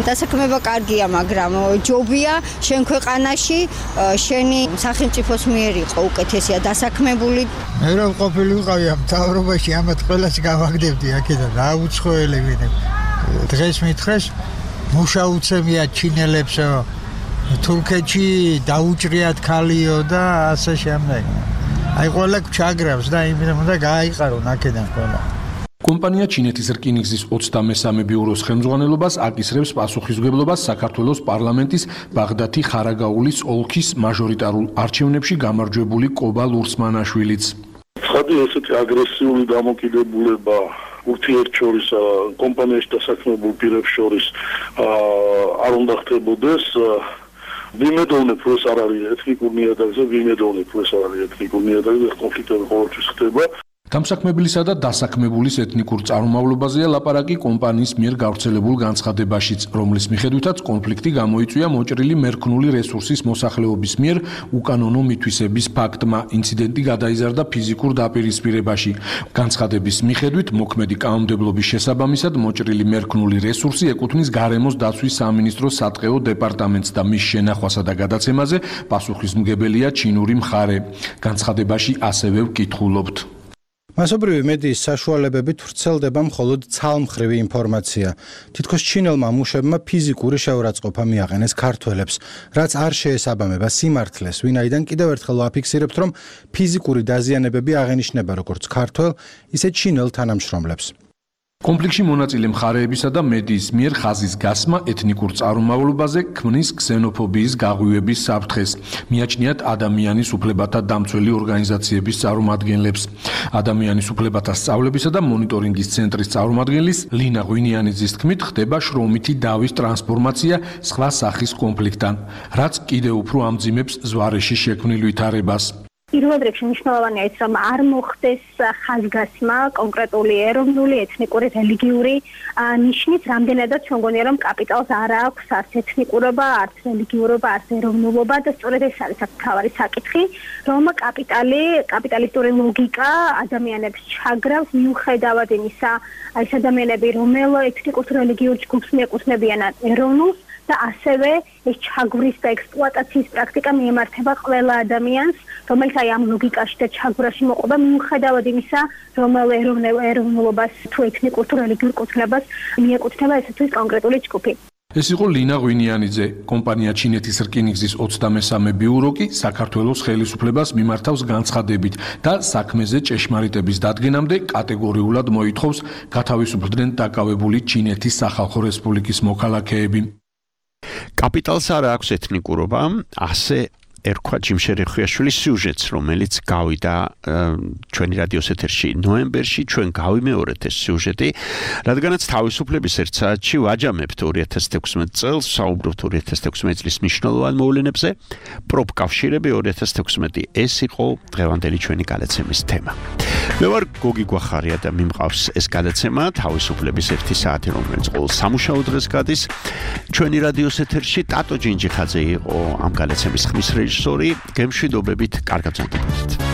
დასაქმება კარგია მაგრამ ჯობია შენ ქვეყანაში შენი სახელმწიფოს მიერ იყო უკეთესია დასაქმებული მე რო ყოფილი ვიყავი ამ მთავრობაში ამათ ყველას გავაგდებდი აქედან რა უცხოელებინე დღეს მითხრეს მუშაუცემია ჩინელებსო თურქეთში დაუჭრიათ ქალიო და ასე შემდეგ აი ყველა ჩაგრავს და იმით უნდა გააიყარონ აქედან ყველა კომპანია ჩინეთის რკინიგზის ოცდამესამე ბიუროს ხელმძღვანელობას აკისრებს პასუხისმგებლობას საქართველოს პარლამენტის ბაღდათი ხარაგაულის ოლქის მაჟორიტარულ არჩევნებში გამარჯვებული კობა ლურსმანაშვილიც. ცხადი ესეთი აგრესიული დამოკიდებულება ურთიერთშორის კომპანიაში დასაქმებულ პირებს შორის არ უნდა ხდებოდეს. ვიმედოვნებ რომ ეს არ არის ეთნიკურ ნიადაგზე, ვიმედოვნებ რომ ეს არ არის ეთნიკურ ნიადაგზე, კონფლიქტები ყოველთვის ხდება. დამსაქმებელისა და დასაქმებულის ეთნიკურ წარმომავლობაზეა ლაპარაკი კომპანიის მიერ გავრცელებულ განცხადებაშიც, რომლის მიხედვითაც კონფლიქტი გამოიწვია მოჭრილი მერქნული რესურსის მოსახლეობის მიერ უკანონო მითვისების ფაქტმა. ინციდენტი გადაიზარდა ფიზიკურ დაპირისპირებაში. განცხადების მიხედვით მოქმედი კანონმდებლობის შესაბამისად მოჭრილი მერქნული რესურსი ეკუთვნის გარემოს დაცვის სამინისტროს სატყეო დეპარტამენტს და მის შენახვასა და გადაცემაზე პასუხისმგებელია ჩინური მხარე. განცხადებაში ასევე ვკითხულობთ. მასობრივი მედიის საშუალებებით ვრცელდება მხოლოდ ცალმხრივი ინფორმაცია. თითქოს ჩინელმა მუშებმა ფიზიკური შეურაცხყოფა მიაყენეს ქართველებს, რაც არ შეესაბამება სიმართლეს, ვინაიდან კიდევ ერთხელ ვაფიქსირებთ, რომ ფიზიკური დაზიანებები აღენიშნება როგორც ქართველ, ისე ჩინელ თანამშრომლებს. კონფლიქტში მონაწილე მხარეებისა და მედიის მიერ ხაზის გასმა ეთნიკურ წარმომავლობაზე ქმნის ქსენოფობიის გაღვივების საფრთხეს. მიაჩნიათ ადამიანის უფლებათა დამცველი ორგანიზაციების წარმომადგენლებს. ადამიანის უფლებათა სწავლებისა და მონიტორინგის ცენტრის წარმომადგენლის ლინა ღვინიანიძის თქმით, ხდება შრომითი დავის ტრანსფორმაცია სხვა სახის კონფლიქტთან, რაც კიდევ უფრო ამძიმებს ზვარეში შექმნილ ვითარებას. პირველ რიგში მნიშვნელოვანია ის, რომ არ მოხდეს ხაზგასმა კონკრეტული ეროვნული, ეთნიკური, რელიგიური ნიშნის, რამდენადაც ჩვენ გონია, რომ კაპიტალს არ აქვს არც ეთნიკურობა, არც რელიგიურობა, არც ეროვნულობა და სწორედ ეს არის მთავარი საკითხი, რომ კაპიტალი, კაპიტალისტური ლოგიკა ადამიანებს ჩაგრავს მიუხედავად იმისა, აი ეს ადამიანები რომელ ეთნიკურ თუ რელიგიურ ჯგუფს მიეკუთვნებიან ეროვნულს და ასევე ეს ჩაგვრის და ექსპლუატაციის პრაქტიკა მიემართება ყველა ადამიანს, რომელიც აი ამ ლოგიკაში და ჩაგვრაში მოყვება მიუხედავად იმისა, რომელ ეროვნულობას თუ ეთნიკურ თუ რელიგიურ კუთვნებას მიეკუთვნება ეს თუ ის კონკრეტული ჯგუფი. ეს იყო ლინა ღვინიანიძე. კომპანია ჩინეთის რკინიგზის ოცდამესამე ბიურო კი საქართველოს ხელისუფლებას მიმართავს განცხადებით და საქმეზე ჭეშმარიტების დადგენამდე კატეგორიულად მოითხოვს გათავისუფლდნენ დაკავებული ჩინეთის სახალხო რესპუბლიკის მოქალაქეები. კაპიტალს არ აქვს ეთნიკურობა, ასე ერქვა ჯიმშერი ხვიაშვილის სიუჟეტს, რომელიც გავიდა ჩვენი რადიოს ეთერში ნოემბერში, ჩვენ გავიმეორეთ ეს სიუჟეტი, რადგანაც თავისუფლების ერთ საათში ვაჯამებთ ორი ათას თექვსმეტ წელს, საუბრობთ ორი ათას თექვსმეტ წლის მნიშვნელოვან მოვლენებზე, პროფკავშირები ორი ათას თექვსმეტი, ეს იყო დღევანდელი ჩვენი გადაცემის თემა. მე ვარ გოგი გვახარია და მიმყავს ეს გადაცემა თავისუფლების ერთი საათი, რომელიც ყოველ სამუშაო დღეს გადის ჩვენი რადიოს ეთერში. ტატო ჯინჯიხაძე იყო ამ გადაცემის ხმის რეჟისორი. გემშვიდობებით, კარგად ზამთრობთ.